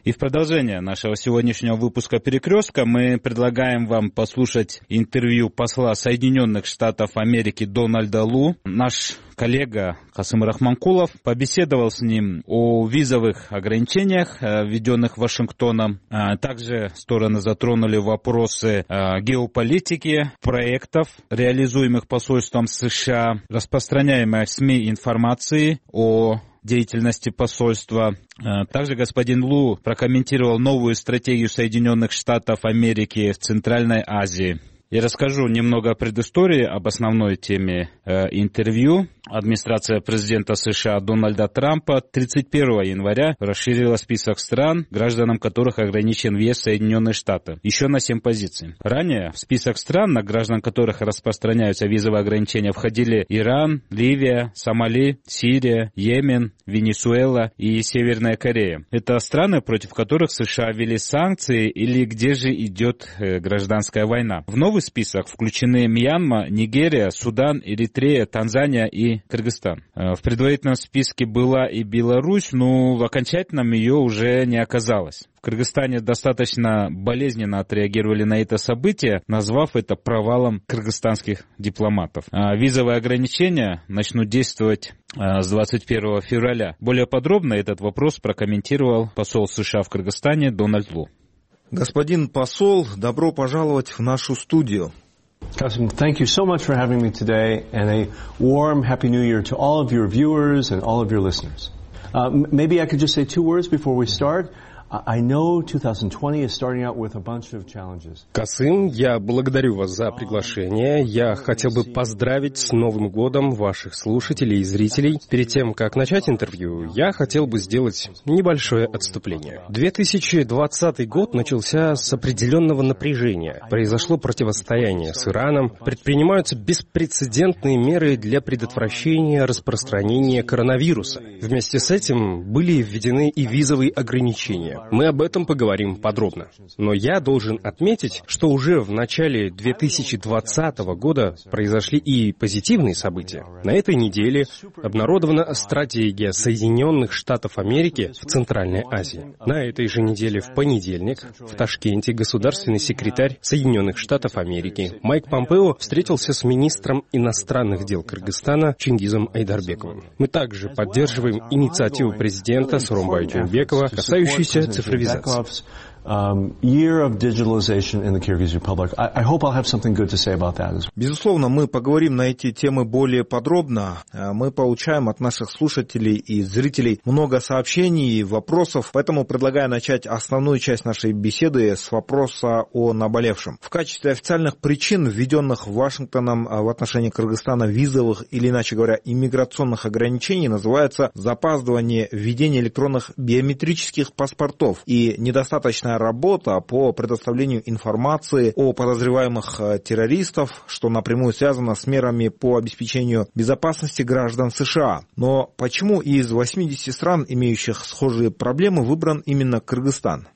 И в продолжение нашего сегодняшнего выпуска «Перекрестка» мы предлагаем вам послушать интервью посла Соединенных Штатов Америки Дональда Лу. Наш коллега Касым Рахманкулов побеседовал с ним о визовых ограничениях, введенных Вашингтоном. Также стороны затронули вопросы геополитики, проектов, реализуемых посольством США, распространяемой в СМИ информации о деятельности посольства. Также господин Лу прокомментировал новую стратегию Соединенных Штатов Америки в Центральной Азии. Я расскажу немного о предыстории, об основной теме э, интервью. Администрация президента США Дональда Трампа тридцать первого января расширила список стран, гражданам которых ограничен въезд в Соединенные Штаты, еще на семь позиций. Ранее в список стран, на граждан которых распространяются визовые ограничения, входили Иран, Ливия, Сомали, Сирия, Йемен, Венесуэла и Северная Корея. Это страны, против которых США ввели санкции или где же идет э, гражданская война. В новый список включены Мьянма, Нигерия, Судан, Эритрея, Танзания и Кыргызстан. В предварительном списке была и Беларусь, но в окончательном ее уже не оказалось. В Кыргызстане достаточно болезненно отреагировали на это событие, назвав это провалом кыргызстанских дипломатов. Визовые ограничения начнут действовать с двадцать первого февраля. Более подробно этот вопрос прокомментировал посол США в Кыргызстане Дональд Лу. Господин посол, добро пожаловать в нашу студию. Kasim, thank you so much for having me today, and a warm Happy New Year to all of your viewers and all of your listeners. Uh, maybe I could just say two words before we start. I know twenty twenty is starting out with a bunch of challenges. Касым, я благодарю вас за приглашение. Я хотел бы поздравить с Новым годом ваших слушателей и зрителей. Перед тем, как начать интервью, я хотел бы сделать небольшое отступление. две тысячи двадцатый год начался с определенного напряжения. Произошло противостояние с Ираном, предпринимаются беспрецедентные меры для предотвращения распространения коронавируса. Вместе с этим были введены и визовые ограничения. Мы об этом поговорим подробно. Но я должен отметить, что уже в начале две тысячи двадцатого года произошли и позитивные события. На этой неделе обнародована стратегия Соединенных Штатов Америки в Центральной Азии. На этой же неделе в понедельник в Ташкенте государственный секретарь Соединенных Штатов Америки Майк Помпео встретился с министром иностранных дел Кыргызстана Чингизом Айдарбековым. Мы также поддерживаем инициативу президента Сооронбая Жээнбекова, касающуюся цифровизации. Безусловно, мы поговорим на эти темы более подробно. Мы получаем от наших слушателей и зрителей много сообщений и вопросов, поэтому предлагаю начать основную часть нашей беседы с вопроса о наболевшем. В качестве официальных причин, введенных Вашингтоном в отношении Кыргызстана визовых или, иначе говоря, иммиграционных ограничений, называется запаздывание введения электронных биометрических паспортов и недостаточная работа по предоставлению информации о подозреваемых террористов, что напрямую связано с мерами по обеспечению безопасности граждан США. Но почему из восьмидесяти стран, имеющих схожие проблемы, выбран именно Кыргызстан?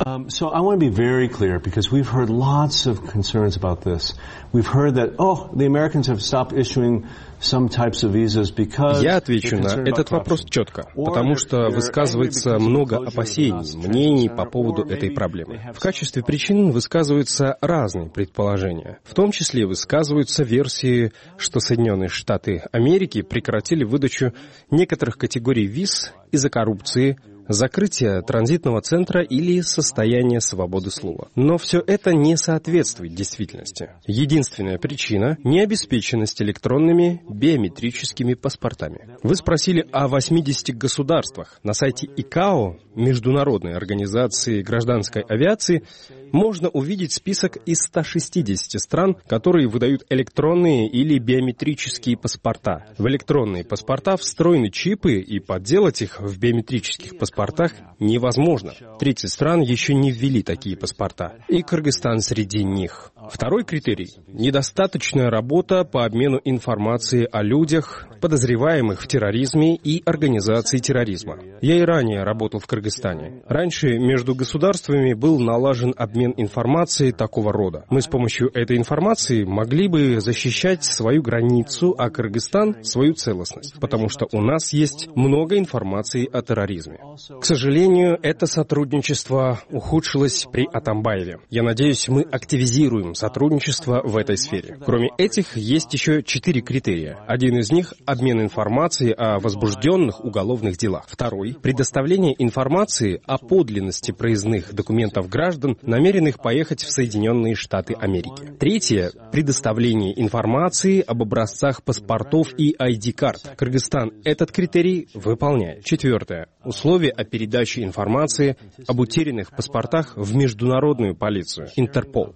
Um, so I want to be very clear because we've heard lots of concerns about this. We've heard that, oh, the Americans have stopped issuing some types of visas because... Я отвечу на этот вопрос четко, потому что высказывается много опасений, мнений по поводу этой проблемы. В качестве причин высказываются разные предположения. В том числе высказываются версии, что Соединенные Штаты Америки прекратили выдачу некоторых категорий виз из-за коррупции, закрытие транзитного центра или состояние свободы слова. Но все это не соответствует действительности. Единственная причина – необеспеченность электронными биометрическими паспортами. Вы спросили о восьмидесяти государствах. На сайте ай си эй о, Международной организации гражданской авиации, можно увидеть список из ста шестидесяти стран, которые выдают электронные или биометрические паспорта. В электронные паспорта встроены чипы, и подделать их в биометрических паспортах невозможно. тридцать стран еще не ввели такие паспорта, и Кыргызстан среди них. Второй критерий – недостаточная работа по обмену информацией о людях, подозреваемых в терроризме и организации терроризма. Я и ранее работал в Кыргызстане. Раньше между государствами был налажен обмен информацией такого рода. Мы с помощью этой информации могли бы защищать свою границу, а Кыргызстан – свою целостность, потому что у нас есть много информации о терроризме. К сожалению, это сотрудничество ухудшилось при Атамбаеве. Я надеюсь, мы активизируем сотрудничество в этой сфере. Кроме этих, есть еще четыре критерия. Один из них – обмен информацией о возбужденных уголовных делах. Второй – предоставление информации о подлинности проездных документов граждан, намеренных поехать в Соединенные Штаты Америки. Третье – предоставление информации об образцах паспортов и ай ди-карт. Кыргызстан этот критерий выполняет. Четвертое – условия о передаче информации об утерянных паспортах в международную полицию, Интерпол.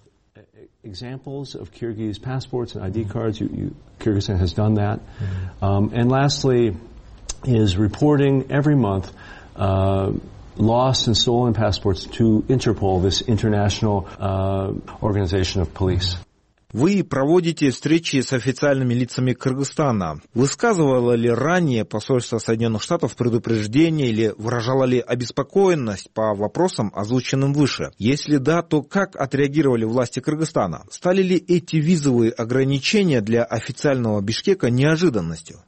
Examples of Kyrgyz passports and I D cards, you, you, Kyrgyzstan has done that. Um, and lastly is reporting every month uh, lost and stolen passports to Interpol, this international uh, organization of police. Вы проводите встречи с официальными лицами Кыргызстана. Высказывало ли ранее посольство Соединенных Штатов предупреждение или выражало ли обеспокоенность по вопросам, озвученным выше? Если да, то как отреагировали власти Кыргызстана? Стали ли эти визовые ограничения для официального Бишкека неожиданностью?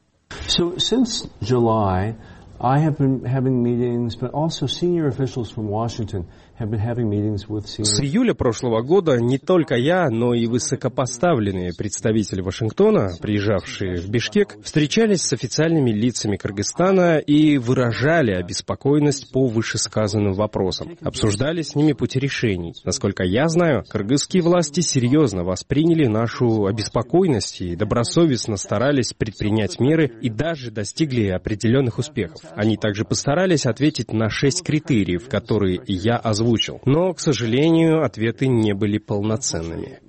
So, since July, I have been having meetings, but also senior officials from Washington have been having meetings with senior... С июля прошлого года не только я, но и высокопоставленные представители Вашингтона, приезжавшие в Бишкек, встречались с официальными лицами Кыргызстана и выражали обеспокоенность по вышесказанным вопросам. Обсуждали с ними пути решений. Насколько я знаю, кыргызские власти серьезно восприняли нашу обеспокоенность и добросовестно старались предпринять меры и даже достигли определенных успехов. Они также постарались ответить на шесть критериев, которые я озвучил. Но, к сожалению, ответы не были полноценными.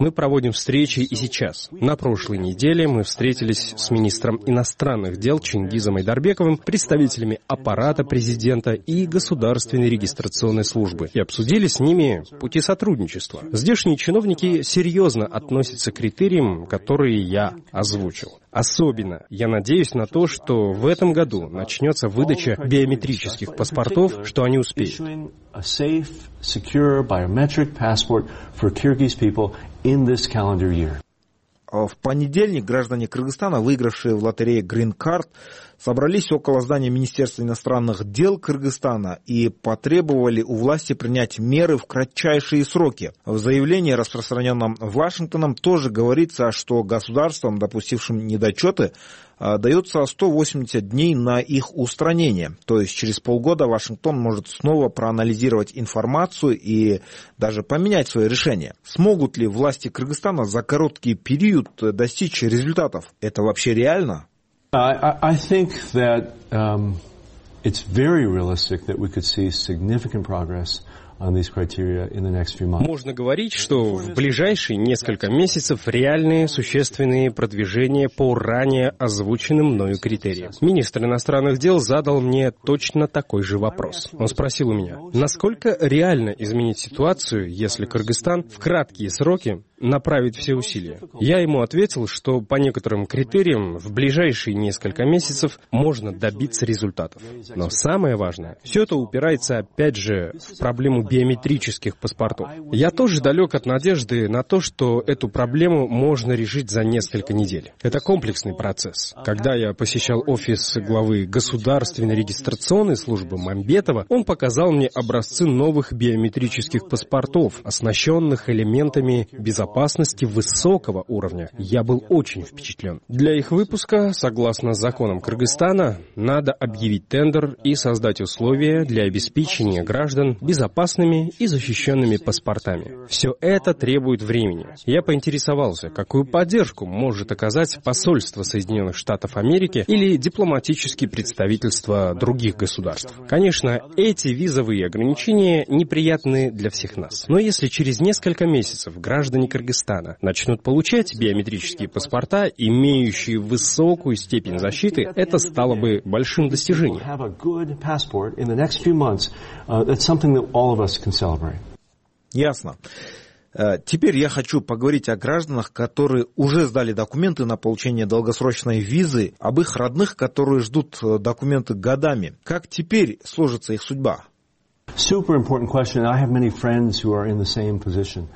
Мы проводим встречи и сейчас. На прошлой неделе мы встретились с министром иностранных дел Чингизом Айдарбековым, представителями аппарата президента и государственной регистрационной службы и обсудили с ними пути сотрудничества. Здешние чиновники серьезно относятся к критериям, которые я озвучил. Особенно я надеюсь на то, что в этом году начнется выдача биометрических паспортов, что они успеют. В понедельник граждане Кыргызстана, выигравшие в лотерее Green Card, собрались около здания Министерства иностранных дел Кыргызстана и потребовали у власти принять меры в кратчайшие сроки. В заявлении, распространенном Вашингтоном, тоже говорится, что государствам, допустившим недочеты, дается сто восемьдесят дней на их устранение. То есть через полгода Вашингтон может снова проанализировать информацию и даже поменять свое решение. Смогут ли власти Кыргызстана за короткий период достичь результатов? Это вообще реально? I, I think that um, it's very realistic that we could see significant progress on these criteria in the next few months. Можно говорить, что в ближайшие несколько месяцев реальные существенные продвижения по ранее озвученным мною критериям. Министр иностранных дел задал мне точно такой же вопрос. Он спросил у меня, насколько реально изменить ситуацию, если Кыргызстан в краткие сроки направить все усилия. Я ему ответил, что по некоторым критериям в ближайшие несколько месяцев можно добиться результатов. Но самое важное, все это упирается опять же в проблему биометрических паспортов. Я тоже далек от надежды на то, что эту проблему можно решить за несколько недель. Это комплексный процесс. Когда я посещал офис главы Государственной регистрационной службы Мамбетова, он показал мне образцы новых биометрических паспортов, оснащенных элементами безопасности безопасности высокого уровня. Я был очень впечатлен. Для их выпуска, согласно законам Кыргызстана, надо объявить тендер и создать условия для обеспечения граждан безопасными и защищенными паспортами. Все это требует времени. Я поинтересовался, какую поддержку может оказать посольство Соединенных Штатов Америки или дипломатические представительства других государств. Конечно, эти визовые ограничения неприятны для всех нас. Но если через несколько месяцев граждане Кыргызстана начнут получать биометрические паспорта, имеющие высокую степень защиты, это стало бы большим достижением. Ясно. Теперь я хочу поговорить о гражданах, которые уже сдали документы на получение долгосрочной визы, об их родных, которые ждут документы годами. Как теперь сложится их судьба? Super important question. I have many friends who are in the same position.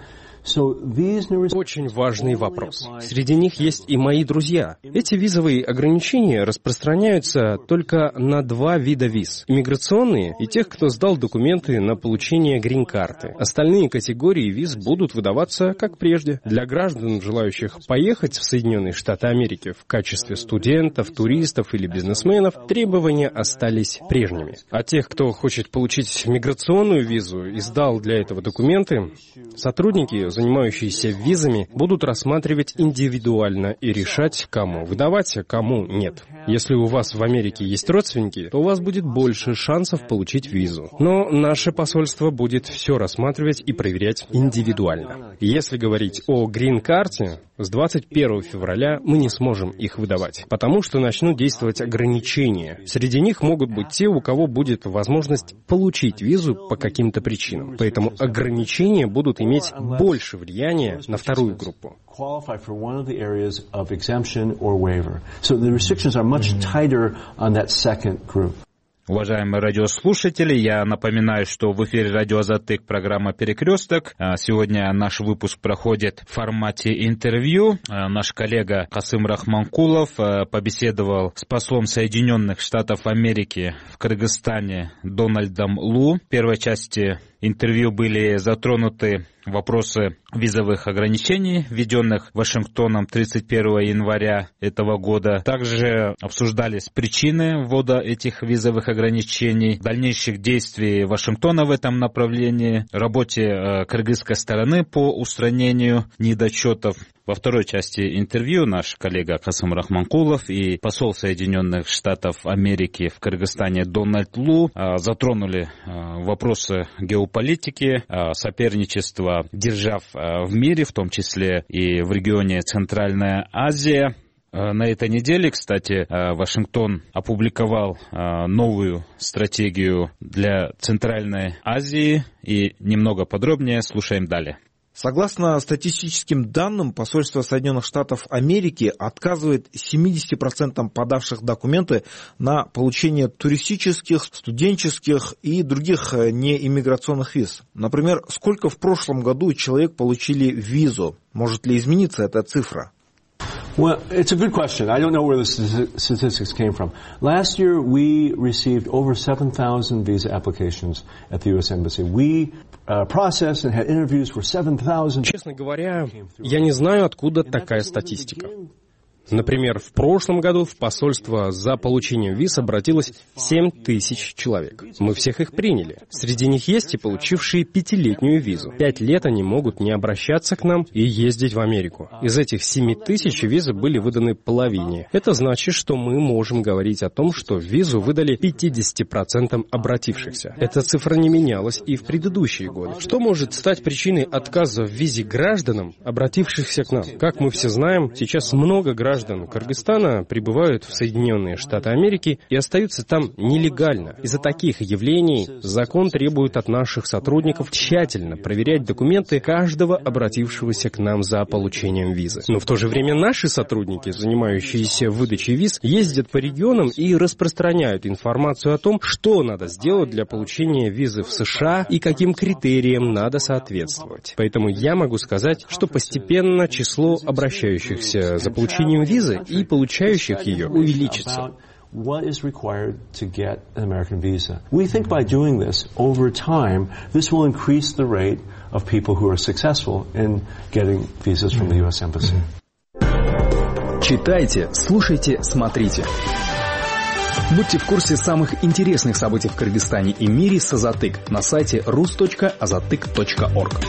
Очень важный вопрос. Среди них есть и мои друзья. Эти визовые ограничения распространяются только на два вида виз. Иммиграционные и тех, кто сдал документы на получение грин-карты. Остальные категории виз будут выдаваться как прежде. Для граждан, желающих поехать в Соединенные Штаты Америки в качестве студентов, туристов или бизнесменов, требования остались прежними. А тех, кто хочет получить миграционную визу и сдал для этого документы, сотрудники, занимающиеся визами, будут рассматривать индивидуально и решать, кому выдавать, а кому нет. Если у вас в Америке есть родственники, то у вас будет больше шансов получить визу. Но наше посольство будет все рассматривать и проверять индивидуально. Если говорить о грин-карте, с двадцать первого февраля мы не сможем их выдавать, потому что начнут действовать ограничения. Среди них могут быть те, у кого будет возможность получить визу по каким-то причинам. Поэтому ограничения будут иметь больше влияния на вторую группу. Уважаемые радиослушатели, я напоминаю, что в эфире радио Азаттык, программа «Перекресток». Сегодня наш выпуск проходит в формате интервью. Наш коллега Касым Рахманкулов побеседовал с послом Соединенных Штатов Америки в Кыргызстане Дональдом Лу. В первой части интервью были затронуты вопросы визовых ограничений, введенных Вашингтоном тридцать первого января этого года. Также обсуждались причины ввода этих визовых ограничений, дальнейших действий Вашингтона в этом направлении, работе кыргызской стороны по устранению недочетов. Во второй части интервью наш коллега Касым Рахманкулов и посол Соединенных Штатов Америки в Кыргызстане Дональд Лу затронули вопросы геополитики, соперничества держав в мире, в том числе и в регионе Центральная Азия. На этой неделе, кстати, Вашингтон опубликовал новую стратегию для Центральной Азии, и немного подробнее слушаем далее. Согласно статистическим данным, посольство Соединенных Штатов Америки отказывает семьдесят процентов подавших документы на получение туристических, студенческих и других неиммиграционных виз. Например, сколько в прошлом году человек получили визу? Может ли измениться эта цифра? Well, it's a good question. I don't know where the statistics came from. Last year, we received over seven thousand visa applications at the ю эс Embassy. We uh, processed and had interviews for seven thousand. Честно говоря, я не знаю, откуда такая статистика. Например, в прошлом году в посольство за получением виз обратилось семь тысяч человек. Мы всех их приняли. Среди них есть и получившие пятилетнюю визу. Пять лет они могут не обращаться к нам и ездить в Америку. Из этих семи тысяч визы были выданы половине. Это значит, что мы можем говорить о том, что визу выдали пятьдесят процентов обратившихся. Эта цифра не менялась и в предыдущие годы. Что может стать причиной отказа в визе гражданам, обратившихся к нам? Как мы все знаем, сейчас много граждан Граждан Кыргызстана прибывают в Соединенные Штаты Америки и остаются там нелегально. Из-за таких явлений закон требует от наших сотрудников тщательно проверять документы каждого обратившегося к нам за получением визы. Но в то же время наши сотрудники, занимающиеся выдачей виз, ездят по регионам и распространяют информацию о том, что надо сделать для получения визы в США и каким критериям надо соответствовать. Поэтому я могу сказать, что постепенно число обращающихся за получением визы и получающих ее увеличится. what is required to get an American visa. We think by doing this, over time, this will increase the rate of people who are successful in getting visas from the ю эс Embassy. Читайте, слушайте, смотрите. Будьте в курсе самых интересных событий в Кыргызстане и мире с Азатык на сайте рус точка азатык точка орг.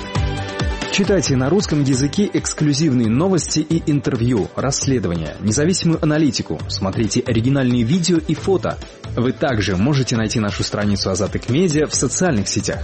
Читайте на русском языке эксклюзивные новости и интервью, расследования, независимую аналитику, смотрите оригинальные видео и фото. Вы также можете найти нашу страницу Азатык Медиа в социальных сетях.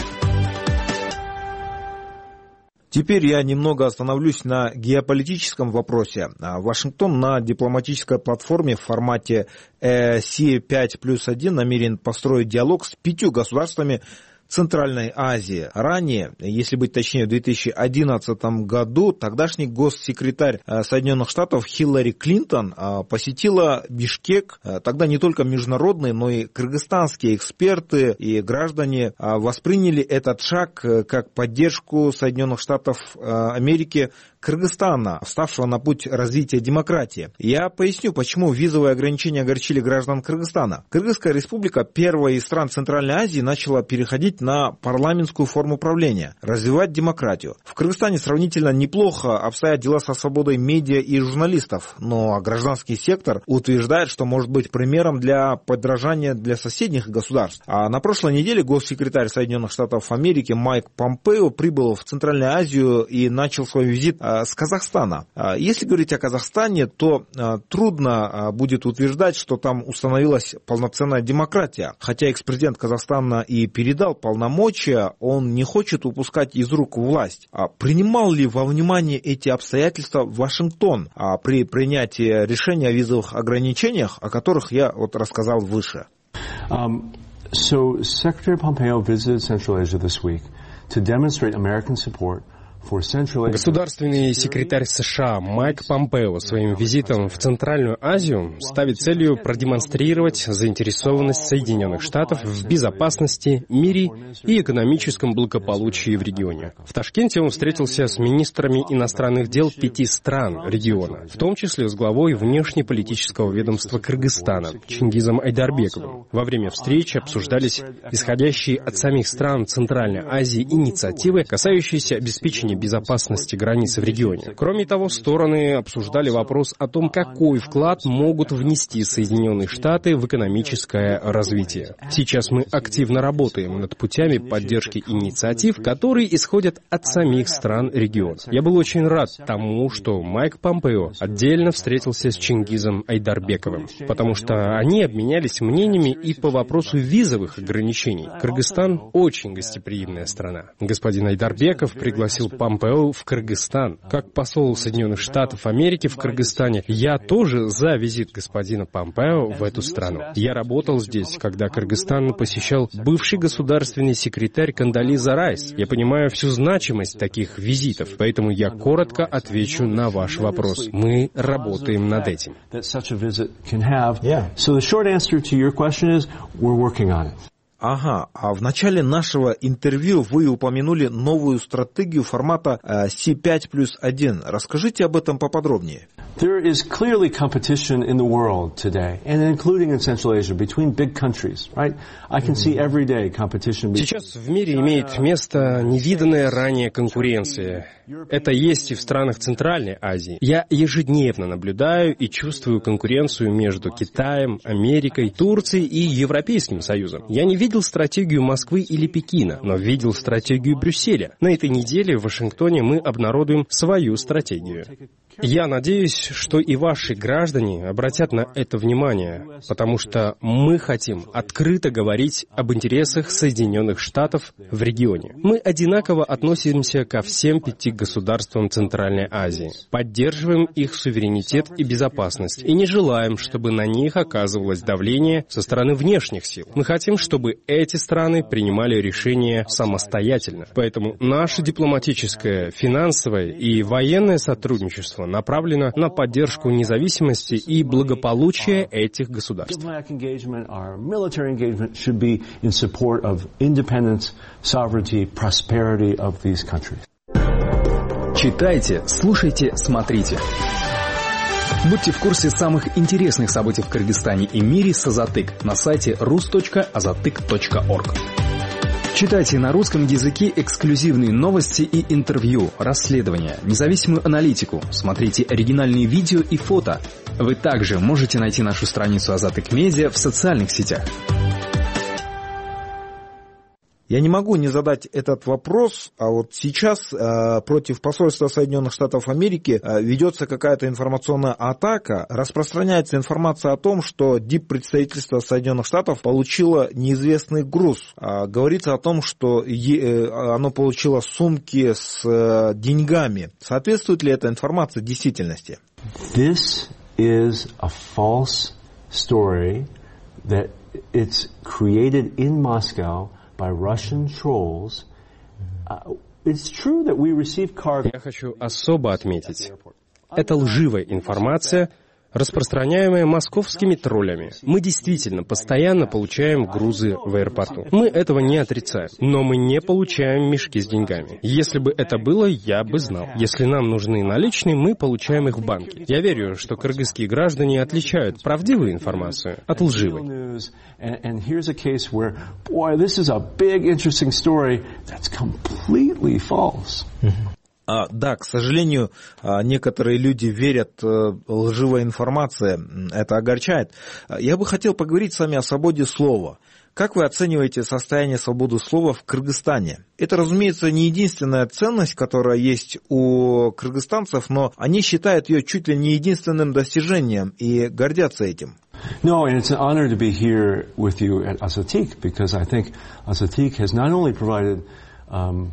Теперь я немного остановлюсь на геополитическом вопросе. Вашингтон на дипломатической платформе в формате Си пять плюс один намерен построить диалог с пятью государствами Центральной Азии. Ранее, если быть точнее, в две тысячи одиннадцатом году тогдашний госсекретарь Соединенных Штатов Хиллари Клинтон посетила Бишкек. Тогда не только международные, но и кыргызстанские эксперты и граждане восприняли этот шаг как поддержку Соединенных Штатов Америки Кыргызстана, вставшего на путь развития демократии. Я поясню, почему визовые ограничения огорчили граждан Кыргызстана. Кыргызская республика, первая из стран Центральной Азии, начала переходить на парламентскую форму правления, развивать демократию. В Кыргызстане сравнительно неплохо обстоят дела со свободой медиа и журналистов, но гражданский сектор утверждает, что может быть примером для подражания для соседних государств. А на прошлой неделе госсекретарь Соединенных Штатов Америки Майк Помпео прибыл в Центральную Азию и начал свой визит с Казахстана. Если говорить о Казахстане, то трудно будет утверждать, что там установилась полноценная демократия. Хотя экс-президент Казахстана и передал полномочия, он не хочет упускать из рук власть. Принимал ли во внимание эти обстоятельства Вашингтон при принятии решения о визовых ограничениях, о которых я вот рассказал выше? Um, so Secretary Pompeo visited Central Asia this week to demonstrate American support. Государственный секретарь США Майк Помпео своим визитом в Центральную Азию ставит целью продемонстрировать заинтересованность Соединенных Штатов в безопасности, мире и экономическом благополучии в регионе. В Ташкенте он встретился с министрами иностранных дел пяти стран региона, в том числе с главой внешнеполитического ведомства Кыргызстана Чингизом Айдарбековым. Во время встречи обсуждались исходящие от самих стран Центральной Азии инициативы, касающиеся обеспечения безопасности границы в регионе. Кроме того, стороны обсуждали вопрос о том, какой вклад могут внести Соединенные Штаты в экономическое развитие. Сейчас мы активно работаем над путями поддержки инициатив, которые исходят от самих стран региона. Я был очень рад тому, что Майк Помпео отдельно встретился с Чингизом Айдарбековым, потому что они обменялись мнениями и по вопросу визовых ограничений. Кыргызстан очень гостеприимная страна. Господин Айдарбеков пригласил Помпео в Кыргызстан. Как посол Соединенных Штатов Америки в Кыргызстане, я тоже за визит господина Помпео в эту страну. Я работал здесь, когда Кыргызстан посещал бывший государственный секретарь Кандализа Райс. Я понимаю всю значимость таких визитов, поэтому я коротко отвечу на ваш вопрос. Мы работаем над этим. Ага, а в начале нашего интервью вы упомянули новую стратегию формата Си пять плюс один. Расскажите об этом поподробнее. There is clearly competition in the world today, and including in Central Asia, between big countries, right? I can see every day competition. Сейчас в мире имеет место невиданная ранее конкуренция. Это есть и в странах Центральной Азии. Я ежедневно наблюдаю и чувствую конкуренцию между Китаем, Америкой, Турцией и Европейским Союзом. Я не видел стратегию Москвы или Пекина, но видел стратегию Брюсселя. На этой неделе в Вашингтоне мы обнародуем свою стратегию. Я надеюсь, что и ваши граждане обратят на это внимание, потому что мы хотим открыто говорить об интересах Соединенных Штатов в регионе. Мы одинаково относимся ко всем пяти государствам Центральной Азии, поддерживаем их суверенитет и безопасность и не желаем, чтобы на них оказывалось давление со стороны внешних сил. Мы хотим, чтобы эти страны принимали решения самостоятельно. Поэтому наше дипломатическое, финансовое и военное сотрудничество направлено на поддержку независимости и благополучия этих государств. Читайте, слушайте, смотрите. Будьте в курсе самых интересных событий в Кыргызстане и мире с Азатык на сайте рус точка азатык точка орг. Читайте на русском языке эксклюзивные новости и интервью, расследования, независимую аналитику, смотрите оригинальные видео и фото. Вы также можете найти нашу страницу Азатык Медиа в социальных сетях. Я не могу не задать этот вопрос, а вот сейчас э, против посольства Соединенных Штатов Америки э, ведется какая-то информационная атака, распространяется информация о том, что диппредставительство Соединенных Штатов получило неизвестный груз. Э, говорится о том, что е, э, оно получило сумки с э, деньгами. Соответствует ли эта информация действительности? This is a false story that it's created in Moscow by Russian trolls. Uh, it's true that we receive cargo. Я хочу особо отметить, это лживая информация, распространяемая московскими троллями. Мы действительно постоянно получаем грузы в аэропорту. Мы этого не отрицаем, но мы не получаем мешки с деньгами. Если бы это было, я бы знал. Если нам нужны наличные, мы получаем их в банке. Я верю, что кыргызские граждане отличают правдивую информацию от лживой. And here's a case where, boy, this is a big, interesting story that's completely false. А, да, к сожалению, некоторые люди верят лживой информации, это огорчает. Я бы хотел поговорить с вами о свободе слова. Как вы оцениваете состояние свободы слова в Кыргызстане? Это, разумеется, не единственная ценность, которая есть у кыргызстанцев, но они считают ее чуть ли не единственным достижением и гордятся этим. No, and it's an honor to be here with you at Azatik, because I think Azatik has not only provided um,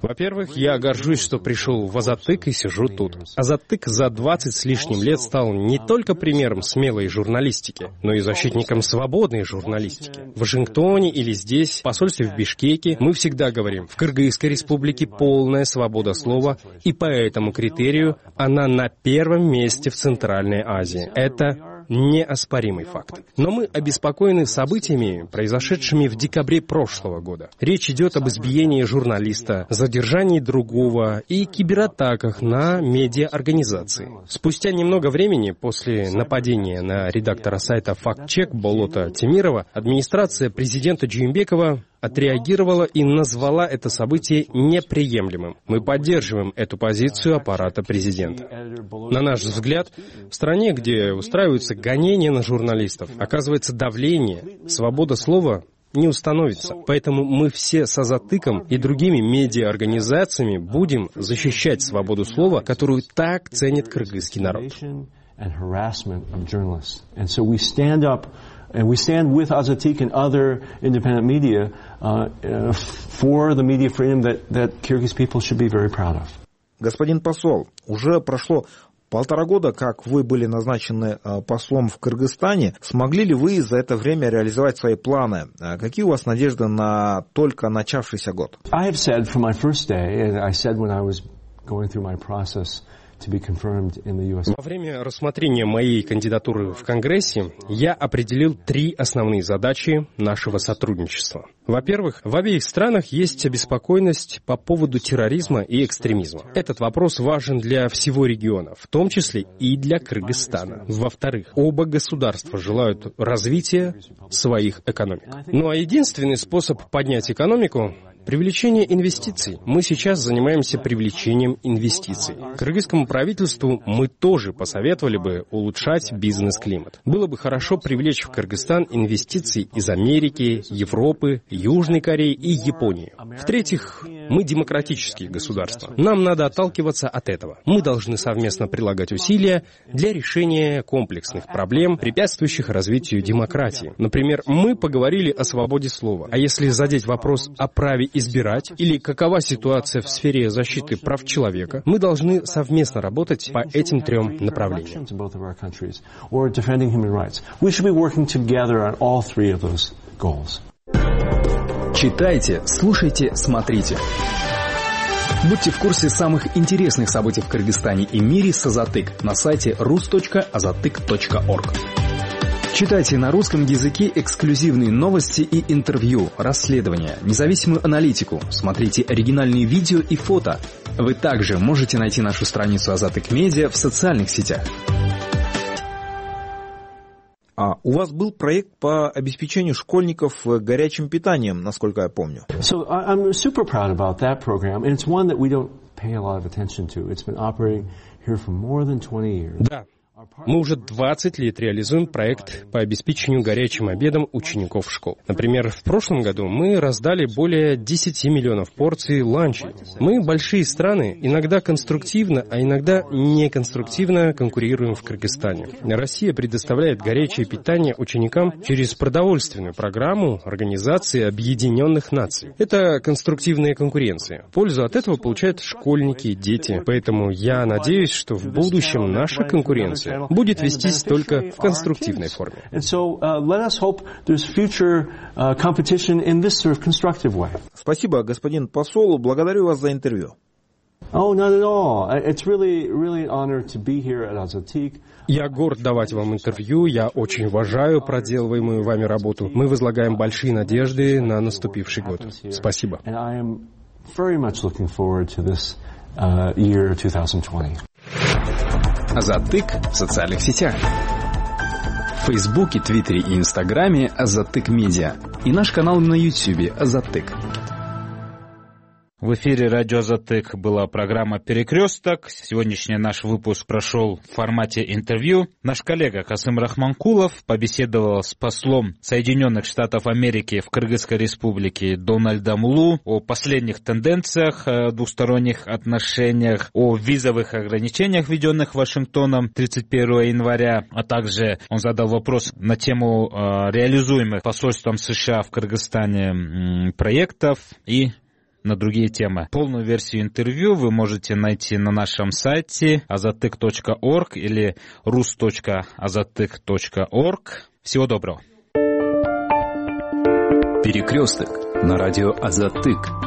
Во-первых, я горжусь, что пришел в Азатык и сижу тут. Азатык за двадцать с лишним лет стал не только примером смелой журналистики, но и защитником свободной журналистики. В Вашингтоне или здесь, в посольстве в Бишкеке, мы всегда говорим, в Кыргызской республике полная свобода слова, и по этому критерию она на первом месте в Центральной Азии. Это неоспоримый факт. Но мы обеспокоены событиями, произошедшими в декабре прошлого года. Речь идет об избиении журналиста, задержании другого и кибератаках на медиаорганизации. Спустя немного времени после нападения на редактора сайта «Фактчек» Болота Темирова, администрация президента Джеймбекова отреагировала и назвала это событие неприемлемым. Мы поддерживаем эту позицию аппарата президента. На наш взгляд, в стране, где устраиваются гонения на журналистов, оказывается давление, свобода слова не установится. Поэтому мы все с Азатыком и другими медиаорганизациями будем защищать свободу слова, которую так ценит кыргызский народ. And we stand with Azatik and other independent media uh, uh, for the media freedom that, that Kyrgyz people should be very proud of. Господин посол, уже прошло полтора года, как вы были назначены послом в Кыргызстане. Смогли ли вы за это время реализовать свои планы? Какие у вас надежды на только начавшийся год? I have said from my first day, and I said when I was going through my process to be confirmed in the ю эс. Во время рассмотрения моей кандидатуры в Конгрессе я определил три основные задачи нашего сотрудничества. Во-первых, в обеих странах есть обеспокоенность по поводу терроризма и экстремизма. Этот вопрос важен для всего региона, в том числе и для Кыргызстана. Во-вторых, оба государства желают развития своих экономик. Ну а единственный способ поднять экономику — привлечение инвестиций. Мы сейчас занимаемся привлечением инвестиций. Кыргызскому правительству мы тоже посоветовали бы улучшать бизнес-климат. Было бы хорошо привлечь в Кыргызстан инвестиции из Америки, Европы, Южной Кореи и Японии. В-третьих, мы демократические государства. Нам надо отталкиваться от этого. Мы должны совместно прилагать усилия для решения комплексных проблем, препятствующих развитию демократии. Например, мы поговорили о свободе слова. А если задеть вопрос о праве избирать или какова ситуация в сфере защиты прав человека, мы должны совместно работать по этим трем направлениям. Читайте, слушайте, смотрите. Будьте в курсе самых интересных событий в Кыргызстане и мире с Азатык на сайте рус точка азатык точка орг. Читайте на русском языке эксклюзивные новости и интервью, расследования, независимую аналитику, смотрите оригинальные видео и фото. Вы также можете найти нашу страницу Азаттык Медиа в социальных сетях. А у вас был проект по обеспечению школьников горячим питанием, насколько я помню. So I'm super proud about that program, and it's one that we don't pay a lot of attention to. It's been operating here for more than twenty years. Да. Мы уже двадцать лет реализуем проект по обеспечению горячим обедом учеников школ. Например, в прошлом году мы раздали более десяти миллионов порций ланчей. Мы, большие страны, иногда конструктивно, а иногда неконструктивно конкурируем в Кыргызстане. Россия предоставляет горячее питание ученикам через продовольственную программу Организации Объединенных Наций. Это конструктивная конкуренция. Пользу от этого получают школьники и дети. Поэтому я надеюсь, что в будущем наша конкуренция будет вестись только в конструктивной форме. Спасибо, господин посол. Благодарю вас за интервью. Я горд давать вам интервью, я очень уважаю проделываемую вами работу. Мы возлагаем большие надежды на наступивший год. Спасибо. Азаттык в социальных сетях. В Фейсбуке, Твиттере и Инстаграме Азаттык Медиа. И наш канал на Ютьюбе Азаттык. В эфире радио Азаттык была программа «Перекресток». Сегодняшний наш выпуск прошел в формате интервью. Наш коллега Касым Рахманкулов побеседовал с послом Соединенных Штатов Америки в Кыргызской Республике Дональдом Лу о последних тенденциях двусторонних отношениях, о визовых ограничениях, введенных Вашингтоном тридцать первого января, а также он задал вопрос на тему реализуемых посольством США в Кыргызстане проектов и на другие темы. Полную версию интервью вы можете найти на нашем сайте азаттык точка орг или рус точка азаттык точка орг. Всего доброго. Перекресток на радио Азаттык.